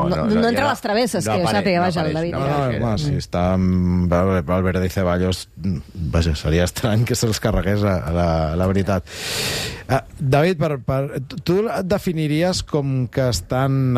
No entra a les travesses, que ho sàpiga, vaja, el David. No, si està amb Valverde i Ceballos, vaja, seria estrany que se'ls carregués, la veritat. David, tu et definiries com que estan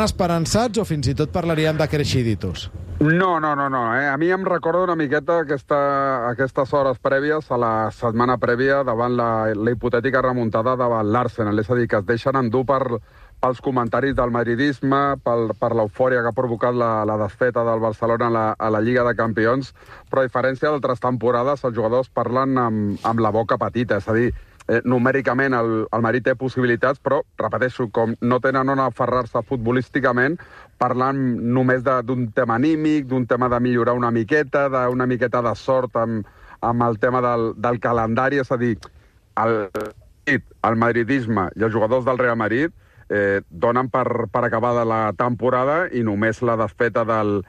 esperançats o fins i tot parlaríem de cresciditos? No. A mi em recorda una miqueta aquestes hores prèvies a la setmana prèvia davant la hipotètica remuntada davant l'Arsenal. És a dir, que es deixen endur pels comentaris del madridisme, per l'eufòria que ha provocat la desfeta del Barcelona a la Lliga de Campions, però a diferència d'altres temporades, els jugadors parlen amb la boca petita. És a dir, numèricament el Madrid té possibilitats, però, repeteixo, com no tenen on aferrar-se futbolísticament, parlant només d'un tema anímic, d'un tema de millorar una miqueta, d'una miqueta de sort amb el tema del calendari. És a dir, el madridisme i els jugadors del Real Madrid donen per acabada la temporada i només la desfeta del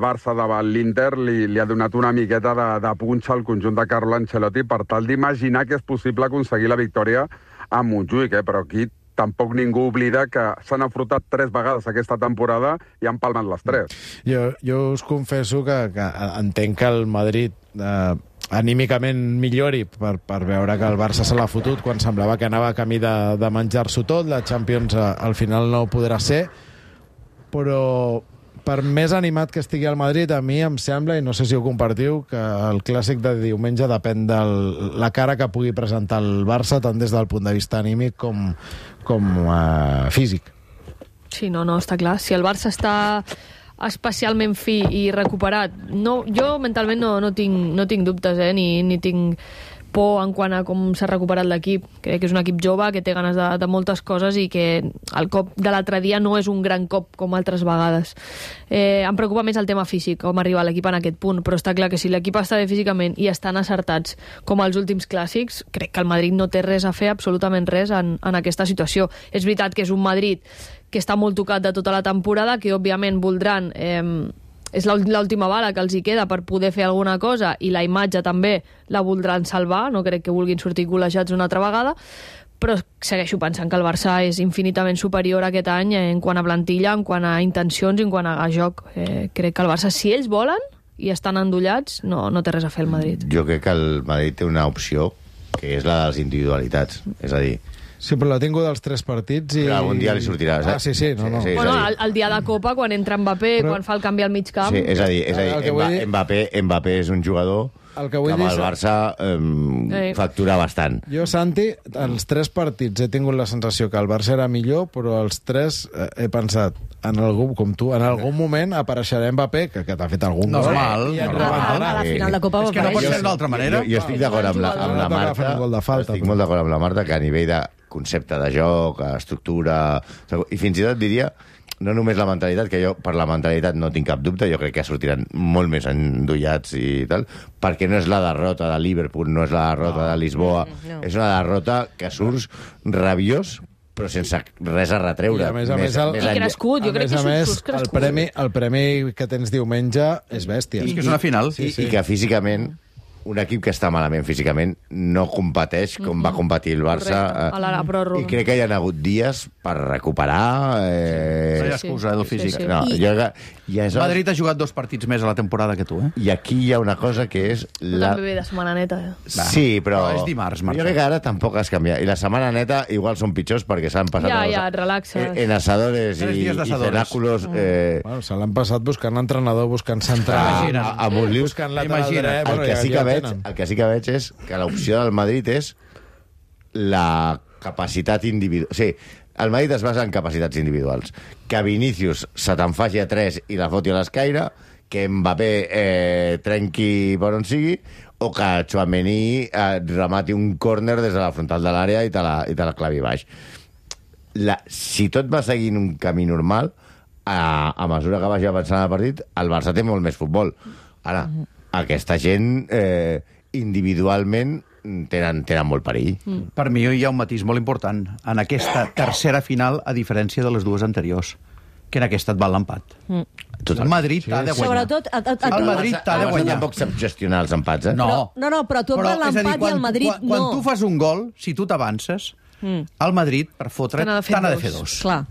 Barça davant l'Inter li ha donat una miqueta de punxa al conjunt de Carlo Ancelotti per tal d'imaginar que és possible aconseguir la victòria a Montjuïc, però aquí tampoc ningú oblida que s'han enfrontat 3 vegades aquesta temporada i han palmat les 3. Jo us confesso que entenc que el Madrid anímicament millori per veure que el Barça se l'ha fotut quan semblava que anava camí de menjar-s'ho tot. La Champions al final no ho podrà ser, però per més animat que estigui el Madrid, a mi em sembla, i no sé si ho compartiu, que el clàssic de diumenge depèn de la cara que pugui presentar el Barça, tant des del punt de vista anímic com físic. Sí, no, està clar. Si el Barça està especialment fi i recuperat, jo mentalment no tinc dubtes, ni tinc por en quant a com s'ha recuperat l'equip. Crec que és un equip jove, que té ganes de moltes coses i que el cop de l'altre dia no és un gran cop com altres vegades. Em preocupa més el tema físic, com arribar l'equip en aquest punt, però està clar que si l'equip està bé físicament i estan acertats com els últims clàssics, crec que el Madrid no té res a fer, absolutament res, en aquesta situació. És veritat que és un Madrid que està molt tocat de tota la temporada, que òbviament voldran... és l'última bala que els hi queda per poder fer alguna cosa, i la imatge també la voldran salvar, no crec que vulguin sortir col·legiats una altra vegada, però segueixo pensant que el Barça és infinitament superior aquest any en quant a plantilla, en quant a intencions i en quant a joc. Crec que el Barça, si ells volen i estan endollats, no té res a fer el Madrid. Jo crec que el Madrid té una opció, que és la de les individualitats, és a dir... Sí, però l'ha tingut els 3 partits i... Però algun dia li sortirà, saps? Sí, no. Sí, bueno, el dia de Copa, quan entra Mbappé, quan fa el canvi al mig camp... Sí, és a dir, Mbappé és un jugador que amb el Barça factura bastant. Jo, Santi, els 3 partits he tingut la sensació que el Barça era millor, però els 3 he pensat, com tu, en algun moment apareixerà Mbappé, que t'ha fet algun gol. A la final de Copa és que no pot ser d'una altra manera. Jo estic d'acord amb la Marta, estic molt d'acord amb la Marta, que a nivell de concepte de joc, estructura... I fins i tot diria, no només la mentalitat, que jo per la mentalitat no tinc cap dubte, jo crec que sortiran molt més endollats i tal, perquè no és la derrota de Liverpool, no és la derrota de Lisboa, és una derrota que surts rabiós, però sense res a retreure. I a més, crescut, jo crec que surts crescut. El premi que tens diumenge és bèstia. És que és una final. I que físicament un equip que està malament físicament no competeix com va competir el Barça. I crec que hi ha hagut dies per recuperar... No hi ha excusa del físic. Madrid ha jugat 2 partits més a la temporada que tu, I aquí hi ha una cosa que és... També ve de setmana neta. Sí, però... és dimarts, Marta. Jo crec que ara tampoc has canviat. I la setmana neta igual són pitjors perquè s'han passat... Ja, relaxes. En asadores i cenáculos... Se l'han passat buscant entrenador, buscant central, a Montlius, buscant lateral dret... El que sí que veig és que l'opció del Madrid és la capacitat individual. O sigui, el Madrid es basa en capacitats individuals. Que Vinícius se te'n faci a 3 i la foti a l'escaire, que Mbappé trenqui per on sigui, o que Tchouaméni remati un córner des de la frontal de l'àrea i te la clavi baix. Si tot va seguint un camí normal, a mesura que vagi avançant el partit, el Barça té molt més futbol. Ara, aquesta gent individualment tenen molt perill. Per mi hi ha un matís molt important en aquesta tercera final, a diferència de les 2 anteriors, que en aquesta et val l'empat. El Madrid t'ha de guanyar. Sobretot, el Madrid t'ha de guanyar. Tampoc sap gestionar els empats, No, però tu et val l'empat i el Madrid no. Quan tu fas un gol, si tu t'avances, el Madrid, per fotre, t'ha de fer 2. Clar.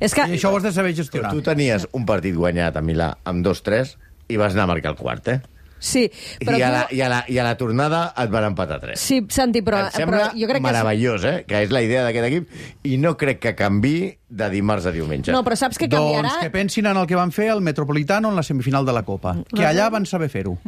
És que... I això ho has de saber gestionar. Tu tenies un partit guanyat a Milà amb 2-3 i vas anar a marcar el quart, Sí, però I a la tornada et van empatar 3. Sí, Santi, però... Em sembla jo crec meravellós, que és la idea d'aquest equip, i no crec que canviï de dimarts a diumenge. No, però saps que canviarà... Doncs que pensin en el que van fer al Metropolitano en la semifinal de la Copa. Que allà van saber fer-ho.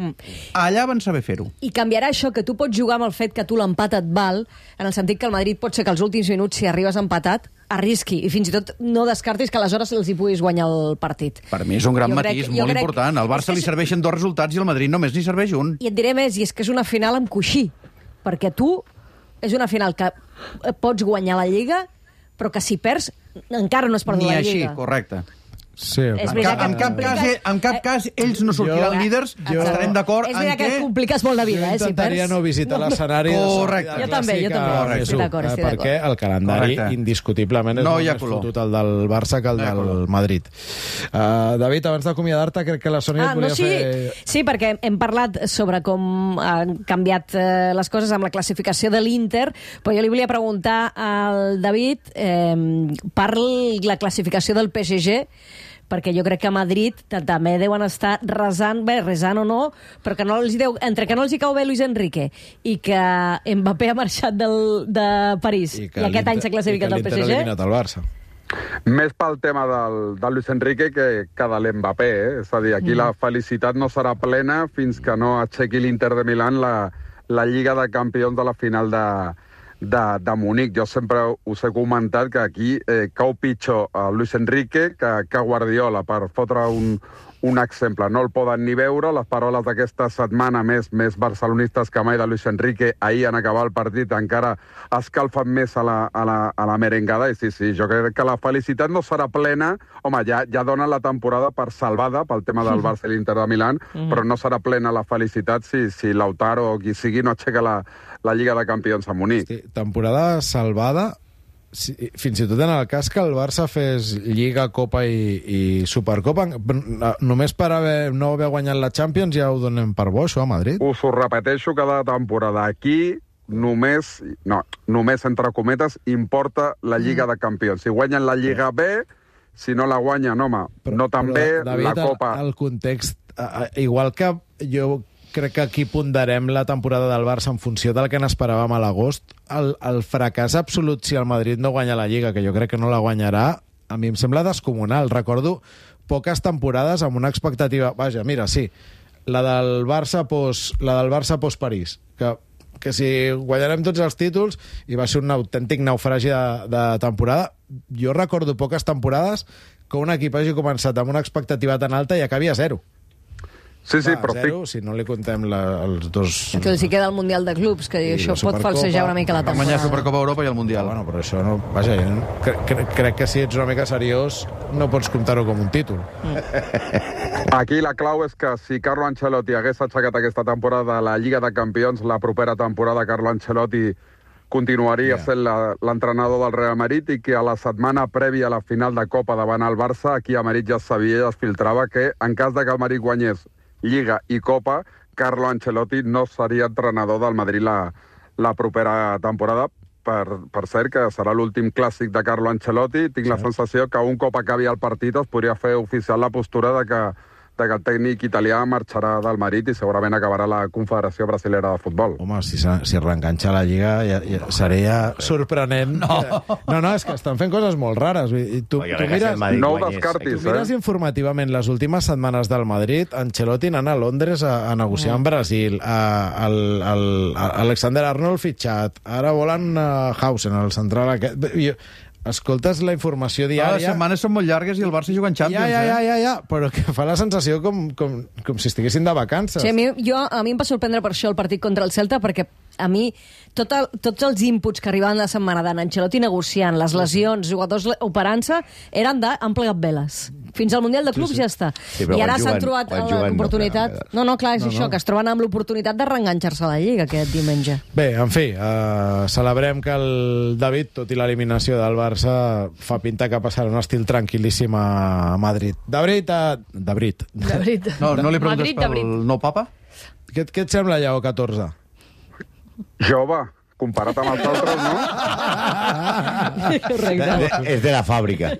Allà van saber fer-ho. I canviarà això, que tu pots jugar amb el fet que tu l'empat et val, en el sentit que el Madrid pot ser que als últims minuts, si arribes empatat, arrisqui, i fins i tot no descartis que aleshores els hi puguis guanyar el partit. Per mi és un gran matís, molt important. Al Barça li serveixen 2 resultats i al Madrid només n'hi serveix un. I et diré més, i és que és una final amb coixí, perquè tu és una final que pots guanyar la Lliga, però que si perds encara no has perdut la Lliga. Ni així, correcte. Sí, en cap cas ells no sortiran líders, estarem d'acord en que... És que et compliques molt la vida, si perds. Jo intentaria no visitar l'escenari. Correcte. Jo també. Estic d'acord. Perquè el calendari indiscutiblement és molt més fotut el del Barça que el del Madrid. David, abans d'acomiadar-te, crec que la Sònia et volia fer... Sí, perquè hem parlat sobre com han canviat les coses amb la classificació de l'Inter, però jo li volia preguntar al David per la classificació del PSG, perquè jo crec que a Madrid també deuen estar resant o no, però que entre que no els hi cau bé Luis Enrique i que Mbappé ha marxat de París i aquest any s'ha classificat el PSG. I que l'Inter ha eliminat el Barça. Més pel tema del Luis Enrique que de l'Mbappé, És a dir, aquí la felicitat no serà plena fins que no aixequi l'Inter de Milán la Lliga de Campions de la final de Munic. Jo sempre us he comentat que aquí cau pitjor a Luis Enrique que Guardiola, per fotre un exemple. No el poden ni veure. Les paroles d'aquesta setmana més barcelonistes que mai de Luis Enrique ahir en acabar el partit encara escalfen més a la merengada. I sí, jo crec que la felicitat no serà plena. Home, ja donen la temporada per salvada pel tema del Barça i l'Inter de Milán, però no serà plena la felicitat si Lautaro o qui sigui no aixeca la Lliga de Campions a Munic. Sí, temporada salvada, fins i tot en el cas que el Barça fes Lliga, Copa i Supercopa, només per no haver guanyat la Champions ja ho donem per bo, això, a Madrid? Us ho repeteixo cada temporada. Aquí només, entre cometes, importa la Lliga de Campions. Si guanyen la Lliga B, si no la guanyen, home, no tan bé, David, la Copa... el context, igual que jo crec que aquí ponderem la temporada del Barça en funció del que n'esperàvem a l'agost, el fracàs absolut si el Madrid no guanya la Lliga, que jo crec que no la guanyarà, a mi em sembla descomunal. Recordo poques temporades amb una expectativa... Vaja, mira, sí, la del Barça post-París, que si guanyarem tots els títols, i va ser un autèntic naufragi de temporada. Jo recordo poques temporades que un equip hagi començat amb una expectativa tan alta i acabi a 0. Sí, però zero, si no li contem els dos... Entonces, si queda el Mundial de Clubs, que això pot falsejar una mica la temporada. Guanyar Supercopa Europa i el Mundial. Bueno, però això no... Vaja, crec que si ets una mica seriós no pots comptar-ho com un títol. Aquí la clau és que si Carlo Ancelotti hagués aixecat aquesta temporada la Lliga de Campions, la propera temporada Carlo Ancelotti continuaria sent l'entrenador del Real Madrid, i que a la setmana prèvia a la final de Copa davant el Barça, aquí a Madrid ja es sabia i es filtrava que en cas de que el Madrid guanyés Lliga i Copa, Carlo Ancelotti no seria entrenador del Madrid la propera temporada. Per cert, que serà l'últim clàssic de Carlo Ancelotti. Tinc la sensació que un cop acabi el partit es podria fer oficial la postura de que el tècnic italià marxarà del Madrid i segurament acabarà la Confederació Brasilera de Futbol. Home, si reenganxa la Lliga ja seria sorprenent. No, és que estan fent coses molt rares. Tu no ho descartis, tu mires informativament les últimes setmanes del Madrid, Ancelotti anant a Londres a negociar amb Brasil, Alexander Arnold fitxat, ara volen Hausen, el central aquest... Escoltes la informació diària... Les setmanes són molt llargues i el Barça juga en Champions. Ja, però que fa la sensació com si estiguessin de vacances. Sí, a mi em va sorprendre per això el partit contra el Celta, perquè a mi tots els inputs que arribaven la setmana d'en Ancelotti negociant, les lesions, jugadors operant-se, eren de han plegat veles. Fins al Mundial de Clubs ja està. Sí, i ara s'han trobat l'oportunitat... No, clar, és això, que es troben amb l'oportunitat de reenganxar-se a la Lliga aquest diumenge. Bé, en fi, celebrem que el David, tot i l'eliminació del Barça, fa pinta que passarà un estil tranquil·líssim a Madrid. David. No li preguntes pel nou papa? Què et sembla, Lleó 14? Jove, comparat amb els altres, no? Correcte. És de la fàbrica.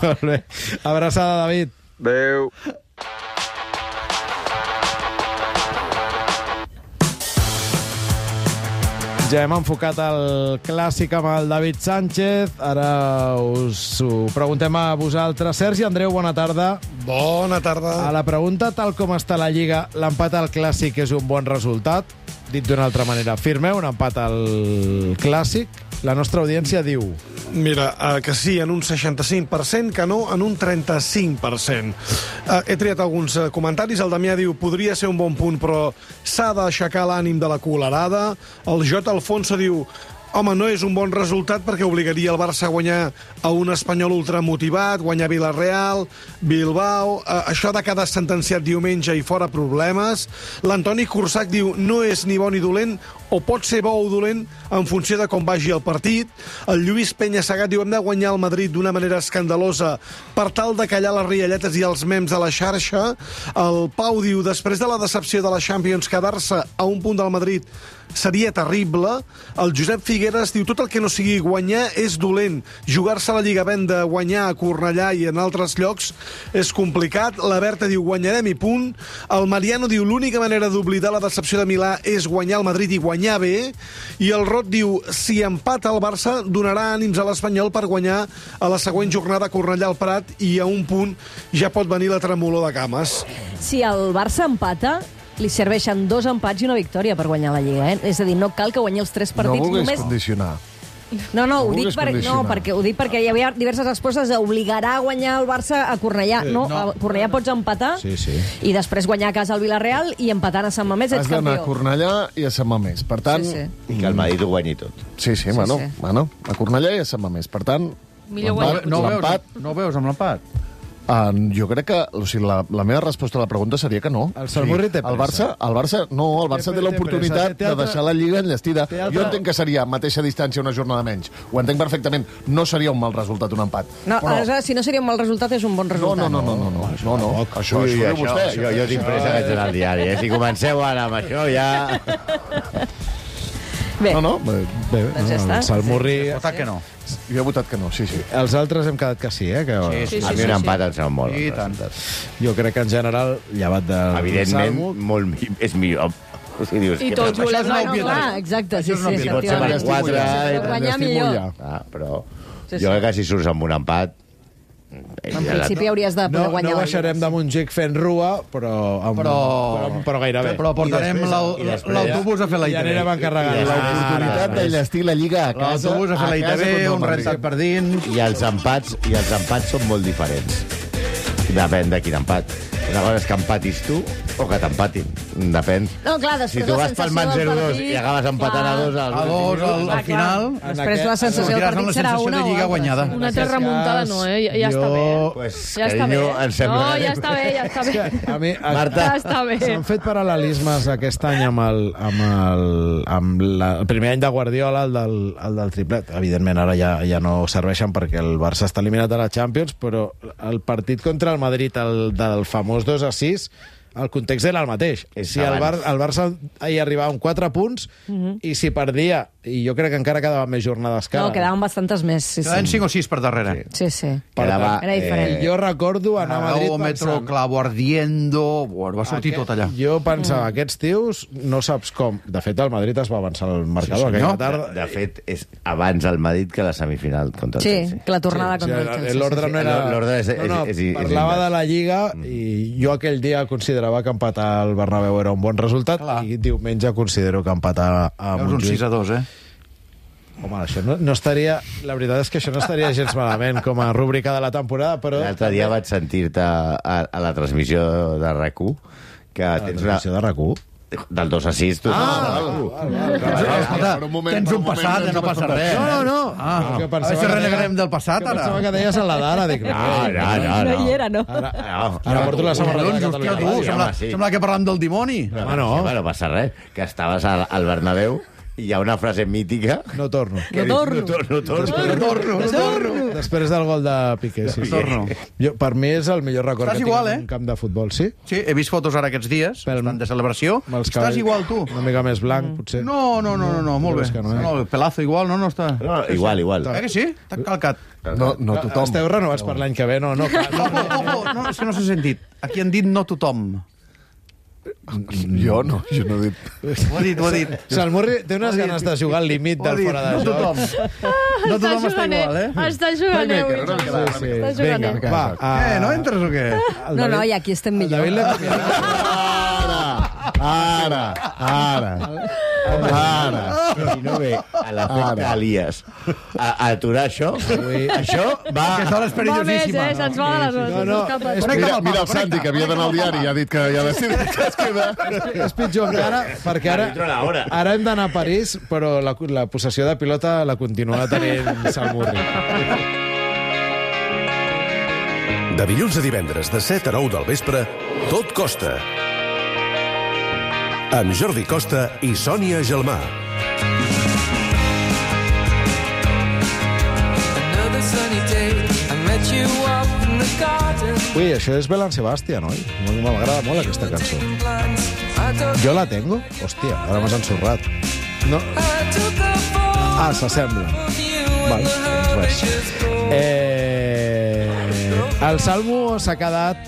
Molt bé. Abraçada, David. Adéu. Ja hem enfocat el clàssic amb el David Sánchez. Ara us ho preguntem a vosaltres. Sergi, Andreu, bona tarda. Bona tarda. A la pregunta, tal com està la Lliga, l'empat al clàssic és un bon resultat? Dit d'una altra manera, firmeu un empat al clàssic? La nostra audiència diu... Mira, que sí, en un 65%, que no, en un 35%. He triat alguns comentaris. El Damià diu, podria ser un bon punt, però s'ha d'aixecar l'ànim de la colerada. El J. Alfonso diu, home, no és un bon resultat perquè obligaria el Barça a guanyar a un Espanyol ultramotivat, guanyar Villarreal, Bilbao... Això de quedar sentenciat diumenge i fora problemes. L'Antoni Cursac diu, no és ni bo ni dolent, o pot ser bo o dolent en funció de com vagi el partit. El Lluís Penya-Segat diu, hem de guanyar el Madrid d'una manera escandalosa per tal de callar les rialletes i els mems a la xarxa. El Pau diu, després de la decepció de la Champions, quedar-se a un punt del Madrid seria terrible. El Josep Figueres diu, tot el que no sigui guanyar és dolent. Jugar-se a la Lliga havent de guanyar a Cornellà i en altres llocs és complicat. La Berta diu, guanyarem i punt. El Mariano diu, l'única manera d'oblidar la decepció de Milà és guanyar el Madrid i guanyar bé. I el Rot diu, si empata el Barça, donarà ànims a l'Espanyol per guanyar a la següent jornada a Cornellà al Prat i a un punt ja pot venir la tremolor de cames. Si el Barça empata, li serveixen 2 empats i una victòria per guanyar la Lliga, És a dir, no cal que guanyi els 3 partits. No vulguis només... condicionar. No, No ho dic, vulguis condicionar. ho dic perquè hi havia diverses respostes de obligarà a guanyar el Barça a Cornellà. A Cornellà pots empatar i després guanyar a casa al Villarreal i empatant a Sant Mamés ets Has d'anar a campió. Cornellà i a Sant Mamés. Per tant... I que el Madrid ho guanyi tot. Sí, bueno, a Cornellà i a Sant Mamés. Per tant, Millor guanyar. No veus amb l'empat? jo crec que... O sigui, la meva resposta a la pregunta seria que no. El Salmurri té pressa. El Barça té l'oportunitat de deixar la Lliga enllestida. Jo entenc que seria a mateixa distància una jornada menys. Ho entenc perfectament. No seria un mal resultat, un empat. No, Però... aleshores, si no seria un mal resultat, és un bon resultat. No. Això diu vostè. Jo tinc pressa que ets al diari, Si comenceu ara amb això, ja... Bé, Bé, doncs ja està. el Salmurri... Votat que no. Jo he votat que no, sí. Els altres hem quedat que sí, Que... Sí. A mi un empat em sembla molt. I tant. Jo crec que en general, llevat de... Evidentment, és millor. O sigui, dius, I tots volem No, guanyar. clar, exacte, sí, Si pot ser per efectivament. 4... Guanyar millor. Però Sí, jo crec que si surts amb un empat... En principi hauries de poder guanyar. No baixarem de Montjuïc fent rua, però gairebé. Però portarem l'autobús a fer la I anirem ITV. encarregant. L'oportunitat d'enllestir la Lliga a casa... L'autobús a fer la ITV, un rentat per dins... I els empats són molt diferents. Depèn de quin empat. Una cosa és que empatis tu o que t'empatin. Depèn. No, clar, després Si tu vas pel man 0-2 i acabes empatant a 2 A 2 al final... Després la sensació del partit serà una de Lliga guanyada. Una altra remuntada no, Ja està bé. Pues, Ja està bé. carinyo, em sembla... No, ja està bé. A mi, Marta. Ja està bé. s'han fet paral·lelismes aquest any amb el primer any de Guardiola, el del triplet. Evidentment, ara ja no serveixen perquè el Barça està eliminat de la Champions, però el partit contra el Madrid, el del famós 2-6, el context era el mateix. Si el Barça hi arribava amb 4 punts i si perdia, i jo crec que encara quedaven més jornades que ara. No, quedaven bastantes més. Quedaven 5 o 6 per darrere. Sí. Quedava, Era diferent. Jo recordo anar a Madrid Metro, pensant... clavo ardiendo... Va sortir tot allà. Jo pensava, aquests tios no saps com. De fet, el Madrid es va avançar al marcador aquella tarda. De fet, és abans el Madrid que la semifinal contra el Sí, Chelsea. que la tornada contra el Chelsea. L'ordre no era... L'ordre és parlava de la Lliga i jo aquell dia considerava que empatar al Bernabéu era un bon resultat i diumenge considero que empatar a Veus un Montjuïc... 6-2, Home, això no estaria... La veritat és que això no estaria gens malament com a rúbrica de la temporada, però... L'altre dia vaig sentir-te a la transmissió de RAC1 que tens una... de RAC1? Del 2-6, tu. Tens un passat, no passa res. No. A veure si renegarem del passat, ara. Pensava que deies en la d'ara. Dic, No hi era, no? Ara porto la samarreta de Catalunya. Sembla que parlam del dimoni. Home, no. No passa res, que estaves al Bernabéu hi ha una frase mítica... No torno. No torno. Després del gol de Piqué, sí. Per mi és el millor record Estàs que tinc igual, en un camp de futbol, sí? Sí, he vist fotos ara aquests dies, de celebració. Estàs igual, tu. Una mica més blanc, potser. No, molt bé. No, Pelazo igual, no està... Igual. Que sí? T'ha calcat. No tothom. Esteu renovats per l'any que ve, no? No, és que no s'ha sentit. Aquí han dit no tothom. Jo no he dit. Ho ha dit. Salmurri té unes ganes de jugar al límit del fora de joc. No tothom està igual, Està jugant, Vinga, va. No entres o què? No, i aquí estem millor. Ara. Si no ve a l'efecte Elias a aturar això va... Aquesta hora és perillosíssima. Se'ns va de les hores. Mira el Santi, que havia d'anar al diari i ha dit que ja ha decidit que es queda. És pitjor encara, perquè ara hem d'anar a París, però la possessió de pilota la continua tenint Salmurri. De dilluns a divendres, de 7 a 9 del vespre, Tot Costa. Amb Jordi Costa i Sònia Gelmà. Ui, això és Bel Sebastian, oi? M'agrada molt aquesta cançó. Jo la tengo? Hòstia, ara m'has ensorrat. No. S'assembla. Val, doncs res. El Salmo s'ha quedat...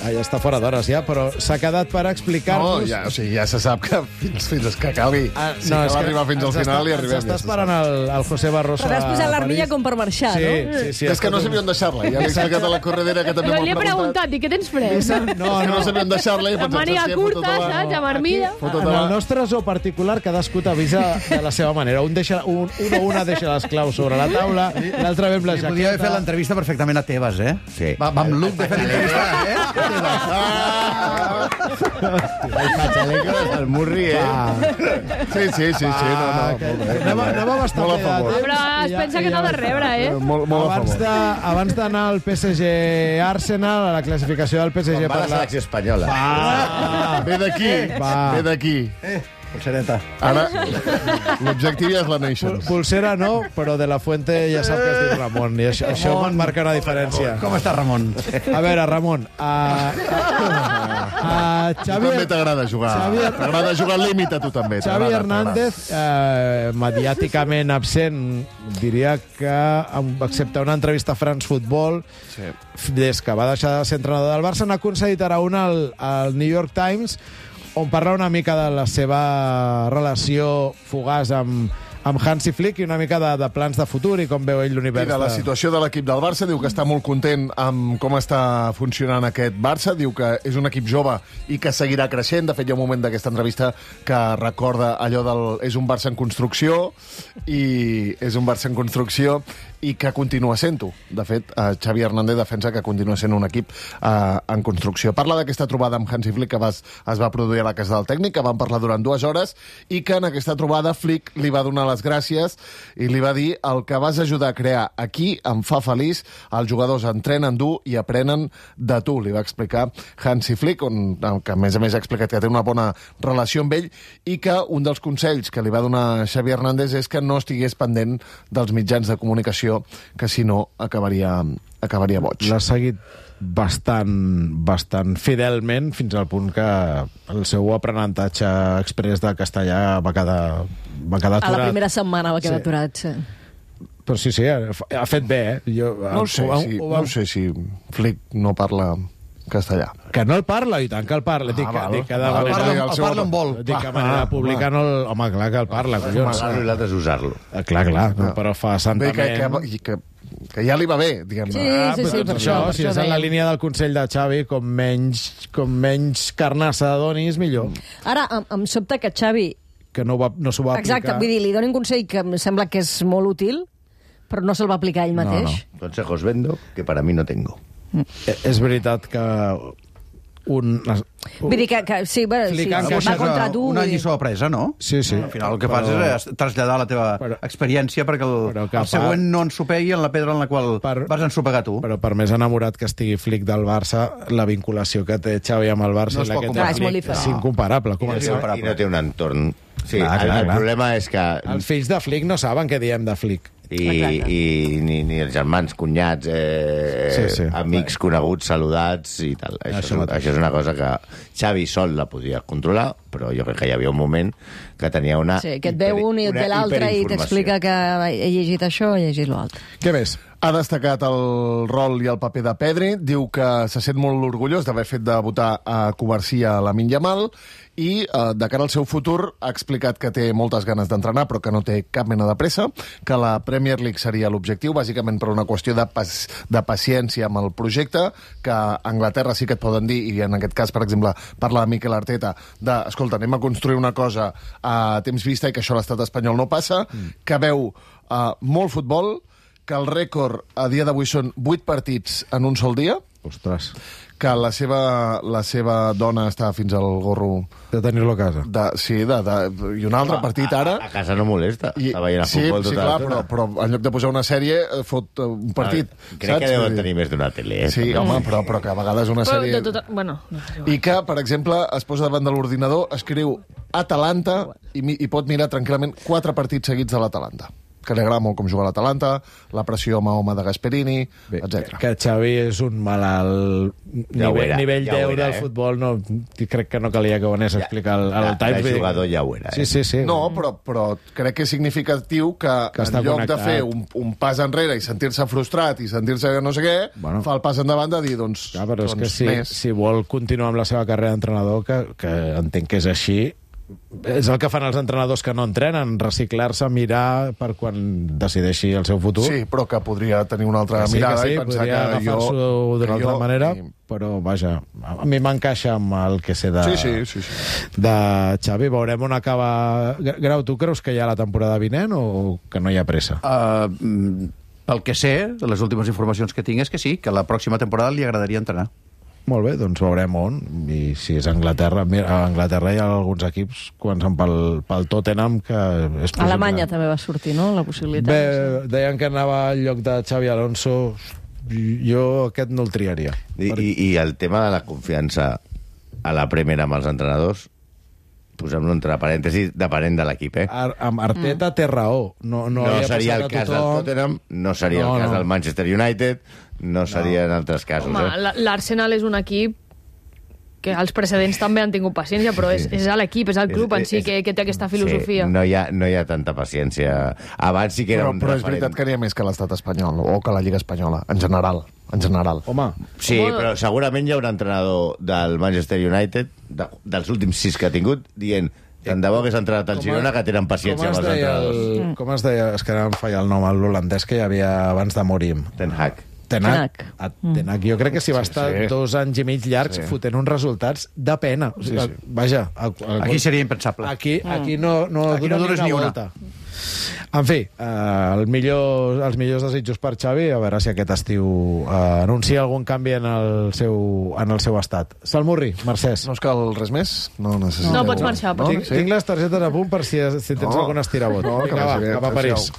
Ja està fora d'hores ja, però s'ha quedat per explicar-nos... No, ja se sap que fins que calgui. Si cal arribar fins al final i arribem. S'està esperant el José Barroso. Però has posat l'armilla com per marxar, no? Sí. És que no sabíem deixar-la. Ja l'he explicat a la corredera, que també m'ho li he preguntat, i què tens pres? No sabíem deixar-la. Amb màniga curta, saps? Amb armilla. En el nostre zoo particular, cadascú t'avisa de la seva manera. Una deixa les claus sobre la taula, l'altre ve amb la jaqueta. Podria haver fet l'entrevista perfectament a Tebas, eh? Sí. Va amb look de fer l'entrevista, eh? El patxaleco de Salmurri, Sí. Anava bastant bé. Però es pensa que no ha de rebre, eh? Molt a favor. Abans d'anar al PSG-Arsenal, a la classificació del PSG... Va la selecció espanyola. Ve d'aquí. Pulsereta. Ara, l'objectiu ja és la Nations. Pulsera no, però de la Fuente ja sap que es diu Ramon, i això marca una diferència. Com està Ramon? A veure, Ramon, Xavi... També t'agrada jugar. T'agrada jugar al límit a tu també. Xavi Hernández, mediàticament absent, diria que, excepte una entrevista a France Football, des que va deixar de ser entrenador del Barça, n'ha concedit ara una al New York Times, on parla una mica de la seva relació fugaç amb Hansi Flick i una mica de plans de futur i com veu ell l'univers. I de la situació de l'equip del Barça, diu que està molt content amb com està funcionant aquest Barça, diu que és un equip jove i que seguirà creixent. De fet, hi ha un moment d'aquesta entrevista que recorda allò del és un Barça en construcció i que continua sent-ho. De fet, Xavi Hernández defensa que continua sent un equip en construcció. Parla d'aquesta trobada amb Hansi Flick que es va produir a la casa del tècnic, que van parlar durant 2 hores, i que en aquesta trobada Flick li va donar les gràcies i li va dir: el que vas ajudar a crear aquí em fa feliç, els jugadors entrenen dur i aprenen de tu, li va explicar Hansi Flick, que a més ha explicat que té una bona relació amb ell i que un dels consells que li va donar Xavi Hernández és que no estigués pendent dels mitjans de comunicació, que si no acabaria boig. L'ha seguit bastant fidelment fins al punt que el seu aprenentatge express de castellà va quedar aturat. A la primera setmana va quedar aturat, sí. Però sí, ha fet bé, eh? No sé si Flick no parla castellà. Que no el parla, i tant que el parla. El parla on vol. Dic que a manera pública no el... Home, clar que el parla, collons. Amagar-lo i l'altre és usar-lo. Clar, però fa santament... Que ja li va bé, diguem-ne. Sí, per això, si és en la línia del Consell de Xavi, com menys carnassa donis, millor. Ara, em sobta que Xavi... Que no s'ho va aplicar. Exacte, vull dir, li doni un consell que em sembla que és molt útil, però no se'l va aplicar ell mateix. No. Consejos vendo que para mí no tengo. És veritat que vull dir que sí, va contra tu. Una lliçó apresa, no? Sí. Al final el que fas és traslladar la teva experiència perquè el següent no ensopegui en la pedra en la qual vas ensopegar tu. Però per més enamorat que estigui Flick del Barça, la vinculació que té Xavi amb el Barça és incomparable. és incomparable. I no té un entorn Sí, el problema és que... Els fills de Flick no saben què diem de Flick. I ni els germans, cunyats, amics coneguts, saludats i tal. Això és una cosa que Xavi sol la podia controlar, però jo crec que hi havia un moment que tenia una... Sí, que et ve un i et ve l'altre i t'explica que he llegit això o he llegit l'altre. Què més? Ha destacat el rol i el paper de Pedri, diu que se sent molt orgullós d'haver fet debutar a Covarsí a Lamine Yamal i de cara al seu futur ha explicat que té moltes ganes d'entrenar però que no té cap mena de pressa, que la Premier League seria l'objectiu, bàsicament per una qüestió de paciència amb el projecte, que a Anglaterra sí que et poden dir, i en aquest cas, per exemple, parla de Mikel Arteta, escolta, anem a construir una cosa a temps vista i que això a l'estat espanyol no passa, que veu molt futbol, que el rècord a dia d'avui són 8 partits en un sol dia. Ostres. Que la seva dona està fins al gorro... De tenir-lo a casa. I un altre partit ara... A casa no molesta. Està veient a futbol tota clar, però en lloc de posar una sèrie, fot un partit. Crec que deuen tenir més d'una tele. Sí, home, però que a vegades una sèrie... Bueno, I que, per exemple, es posa davant de l'ordinador, escriu Atalanta i pot mirar tranquil·lament 4 partits seguits de l'Atalanta. Que li agrada molt com juga l'Atalanta, la pressió home a home de Gasperini, etc. Que Xavi és un malalt nivell 10 del futbol, no, crec que no calia que ho anés a explicar al Times. El jugador ja ho era. Sí. No, però crec que és significatiu que en lloc de fer un pas enrere i sentir-se frustrat i sentir-se no sé què, fa el pas endavant de dir, doncs... Clar, però és que si vol continuar amb la seva carrera d'entrenador, que entenc que és així, és el que fan els entrenadors que no entrenen, reciclar-se, mirar per quan decideixi el seu futur. Sí, però que podria tenir una altra mirada i pensar que agafar-s'ho d'una altra manera, però vaja, a mi m'encaixa amb el que sé de Xavi. Veurem on acaba. Grau, tu creus que hi ha la temporada vinent o que no hi ha pressa? Pel que sé, de les últimes informacions que tinc és que sí, que la pròxima temporada li agradaria entrenar. Molt bé, doncs veurem on. I si és a Anglaterra, a Anglaterra hi ha alguns equips, començant pel Tottenham, que és possible. Alemanya també va sortir, no?, la possibilitat. Bé, deien que anava al lloc de Xavi Alonso. Jo aquest no el triaria. I el tema de la confiança a la Premier amb els entrenadors, posem-lo entre parèntesis, depenent de l'equip, Amb Arteta té raó. No seria el cas del Tottenham, no seria el cas del Manchester United, no seria en altres casos. Home, l'Arsenal és un equip que els precedents també han tingut paciència, però és l'equip, és el club en si que té aquesta filosofia. Sí, no hi ha tanta paciència. Abans sí que era un referent. Però és veritat que n'hi ha més que l'estat espanyol, o que la Lliga Espanyola, en general. Home. Sí, però segurament hi ha un entrenador del Manchester United, dels últims 6 que ha tingut, dient tant de bo hagués entrenat al Girona, que tenen paciència amb els entrenadors. Com es deia? És que ara em falla el nom, l'holandès que hi havia abans de Morim. Ten Hag. Ten Hag. Jo crec que s'hi va estar 2 anys i mig llargs fotent uns resultats de pena. O sigui, vaja, aquí seria impensable. Aquí no dones ni una volta. En fi, els millors desitjos per Xavi, a veure si aquest estiu anuncia algun canvi en el seu estat. Salmurri, Mercès. No us cal res més? No necessito. No, pots marxar. Tinc les targetes a punt per si tens algun estirabot. Vinga, va, cap a París.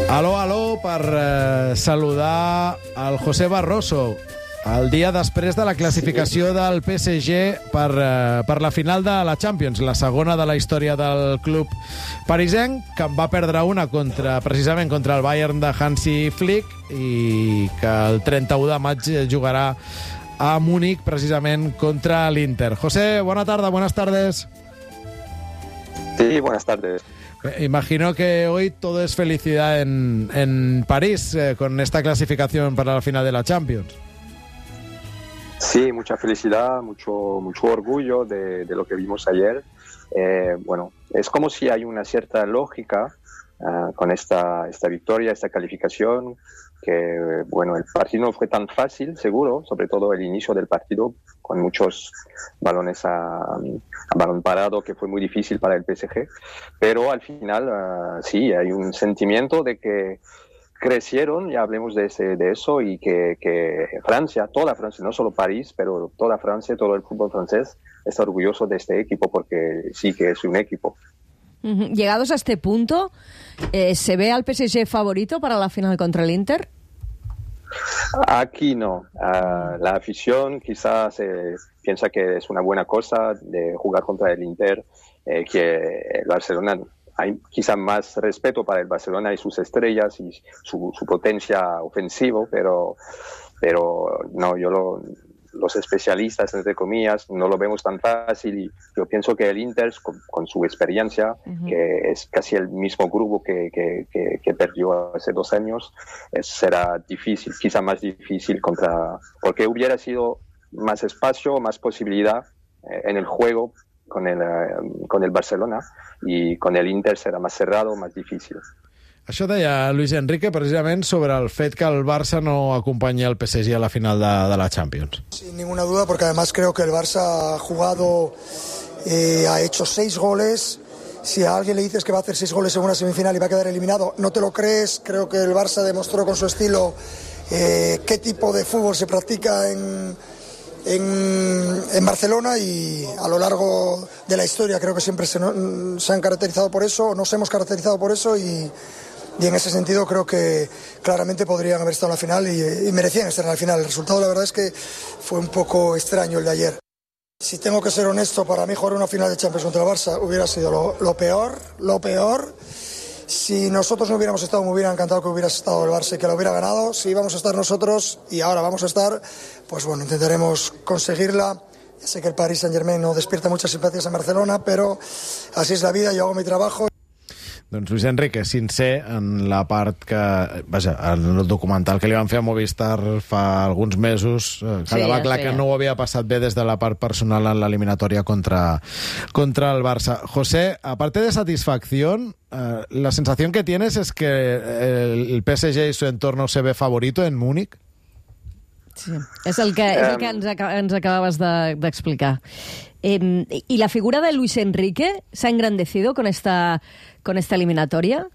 Aló, per saludar el José Barroso, el dia després de la classificació del PSG per la final de la Champions, la segona de la història del club parisenc, que en va perdre una precisament contra el Bayern de Hansi Flick i que el 31 de maig jugarà a Múnich precisament contra l'Inter. José, buenas tardes. Sí, buenas tardes. Imagino que hoy todo es felicidad en París con esta clasificación para la final de la Champions. Sí, mucha felicidad, mucho orgullo de lo que vimos ayer. Bueno, es como si hay una cierta lógica con esta victoria, esta calificación, que bueno, el partido no fue tan fácil, seguro, sobre todo el inicio del partido, con muchos balones a balón parado, que fue muy difícil para el PSG, pero al final sí, hay un sentimiento de que crecieron, ya hablemos de eso, y que Francia, toda Francia, no solo París, pero toda Francia, todo el fútbol francés está orgulloso de este equipo, porque sí que es un equipo. Llegados a este punto, ¿se ve al PSG favorito para la final contra el Inter? Aquí no. La afición quizás piensa que es una buena cosa de jugar contra el Inter, que el Barcelona, hay quizás más respeto para el Barcelona y sus estrellas y su potencia ofensiva, pero no, los especialistas, entre comillas, no lo vemos tan fácil, y yo pienso que el Inter, con su experiencia, que es casi el mismo grupo que perdió hace 2 años, será difícil, quizá más difícil porque hubiera sido más espacio, más posibilidad en el juego con el Barcelona, y con el Inter serà más cerrado, más difícil. Això deia Luis Enrique precisament sobre el fet que el Barça no acompanya el PSG a la final de la Champions. Sin ninguna duda, porque además creo que el Barça ha jugado, ha hecho 6 goles. Si a alguien le dices que va a hacer 6 goles en una semifinal y va a quedar eliminado, no te lo crees. Creo que el Barça demostró con su estilo qué tipo de fútbol se practica en Barcelona, y a lo largo de la historia creo que siempre se han caracterizado por eso, nos hemos caracterizado por eso, y en ese sentido creo que claramente podrían haber estado en la final y merecían estar en la final. El resultado, la verdad, es que fue un poco extraño el de ayer. Si tengo que ser honesto, para mí jugar una final de Champions contra el Barça hubiera sido lo peor. Si nosotros no hubiéramos estado, me hubiera encantado que hubiera estado el Barça y que lo hubiera ganado. Si íbamos a estar nosotros, y ahora vamos a estar, pues bueno, intentaremos conseguirla. Ya sé que el Paris Saint-Germain no despierta muchas simpatías en Barcelona, pero así es la vida, yo hago mi trabajo. Doncs Luis Enrique, sincer en la part que... Vaja, en el documental que li van fer a Movistar fa alguns mesos, quedava clar que no ho havia passat bé des de la part personal en l'eliminatòria contra el Barça. José, aparte de satisfacción, la sensación que tienes es que el PSG y su entorno se ve favorito en Múnich. Sí, és el que ens acabaves d'explicar. ¿Y la figura de Luis Enrique se ha engrandecido con esta eliminatoria?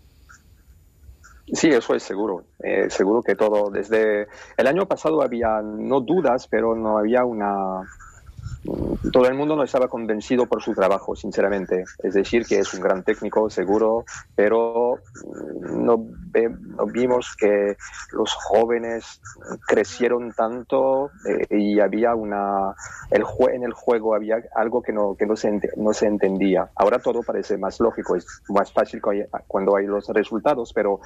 Sí, eso es seguro. Seguro que todo. Desde el año pasado había no dudas, pero no había todo el mundo no estaba convencido por su trabajo, sinceramente. Es decir, que es un gran técnico, seguro, pero no vimos que los jóvenes crecieron tanto, y había en el juego había algo que no se entendía. Ahora todo parece más lógico, es más fácil cuando hay los resultados, pero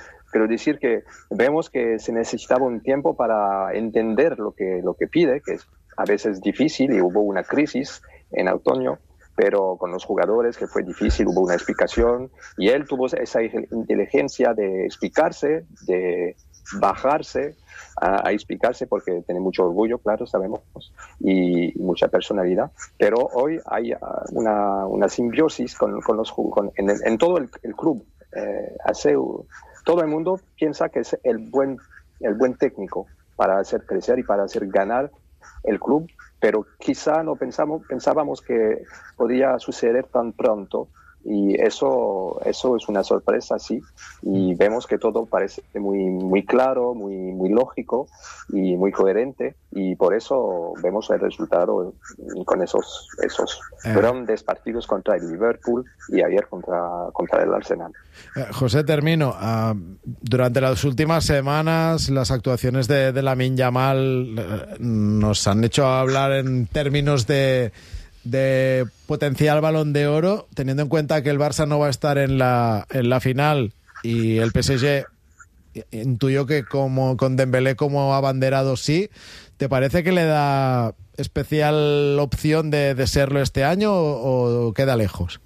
decir que vemos que se necesitaba un tiempo para entender lo que pide, que es a veces difícil, y hubo una crisis en otoño, pero con los jugadores que fue difícil, hubo una explicación, y él tuvo esa inteligencia de explicarse, de bajarse a explicarse, porque tiene mucho orgullo, claro, sabemos, y mucha personalidad, pero hoy hay una simbiosis en todo el club. Todo el mundo piensa que es el buen técnico para hacer crecer y para hacer ganar el club, pero quizá no pensábamos que podía suceder tan pronto, y eso es una sorpresa, sí, y vemos que todo parece muy claro, muy lógico y muy coherente, y por eso vemos el resultado con esos grandes partidos contra el Liverpool y ayer contra el Arsenal. José, termino. Durante las últimas semanas, las actuaciones de Lamine Yamal nos han hecho hablar en términos de potencial Balón de Oro, teniendo en cuenta que el Barça no va a estar en la final, y el PSG intuyo que con Dembélé como abanderado sí. ¿Te parece que le da especial opción de serlo este año o queda lejos?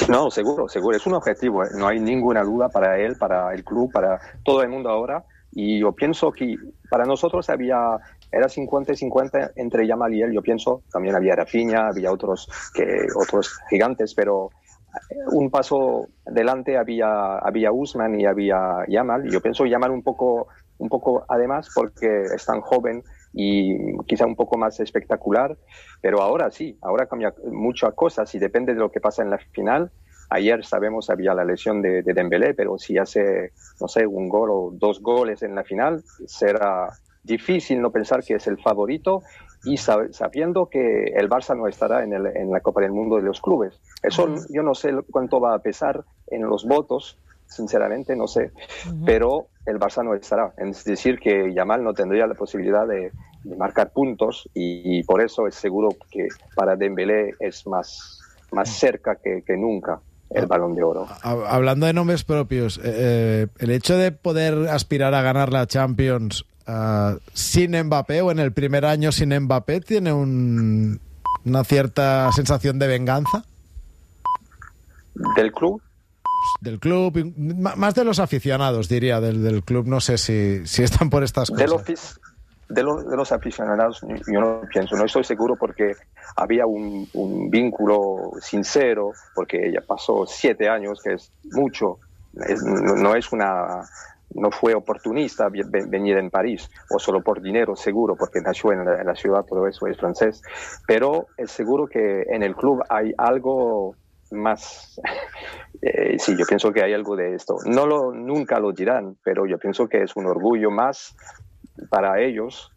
No, seguro. Es un objetivo. No hay ninguna duda para él, para el club, para todo el mundo ahora. Y yo pienso que para nosotros era 50-50 entre Yamal y él. Yo pienso, también había Rafinha, había otros gigantes, pero un paso adelante había Usman y había Yamal. Y yo pienso Yamal un poco además, porque es tan joven y quizá un poco más espectacular, pero ahora sí, ahora cambia muchas cosas y depende de lo que pasa en la final. Ayer sabemos había la lesión de Dembélé, pero si hace, no sé, un gol o 2 goles en la final, será difícil no pensar que es el favorito, y sabiendo que el Barça no estará en la Copa del Mundo de los clubes. Eso yo no sé cuánto va a pesar en los votos, sinceramente, no sé, pero el Barça no estará. Es decir, que Yamal no tendría la posibilidad de marcar puntos y por eso es seguro que para Dembélé es más cerca que nunca el Balón de Oro. Hablando de nombres propios, el hecho de poder aspirar a ganar la Champions sin Mbappé o en el primer año sin Mbappé tiene una cierta sensación de venganza. ¿Del club? Del club, más de los aficionados, diría, del club. No sé si están por estas cosas. De los aficionados yo no pienso, no estoy seguro porque había un vínculo sincero, porque ya pasó 7 años, que es mucho, no fue oportunista venir en París, o solo por dinero, seguro, porque nació en la ciudad, todo eso es francés, pero es seguro que en el club hay algo más. Sí, yo pienso que hay algo de esto. Nunca lo dirán, pero yo pienso que es un orgullo más para ellos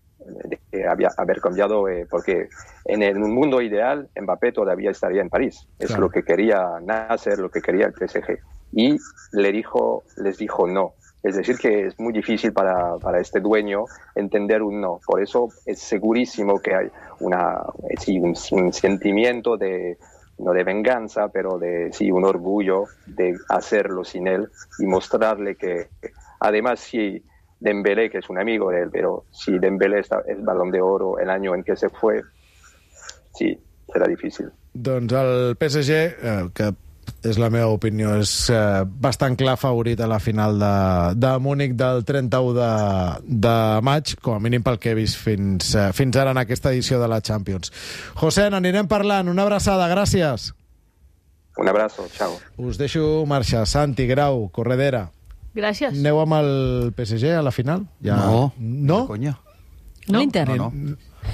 de haber cambiado, porque en un mundo ideal Mbappé todavía estaría en París. Es lo que quería Nasser, lo que quería el PSG. Y les dijo no. Es decir, que es muy difícil para este dueño entender un no. Por eso es segurísimo que hay un sentimiento no de venganza, pero un orgullo de hacerlo sin él y mostrarle que, además, si Dembélé, que es un amigo de él, pero si Dembélé es Balón de Oro el año en que se fue, sí, serà difícil. Doncs el PSG, que és la meva opinió, és bastant clar favorit a la final de Múnich del 31 de maig, com a mínim pel que he vist fins ara en aquesta edició de la Champions. José, n'anirem parlant. Una abraçada, gràcies. Un abrazo, chao. Us deixo marxar. Santi, Grau, Corredera. Gràcies. Aneu amb el PSG a la final? Ja... No? Conya. No? L'Inter? No.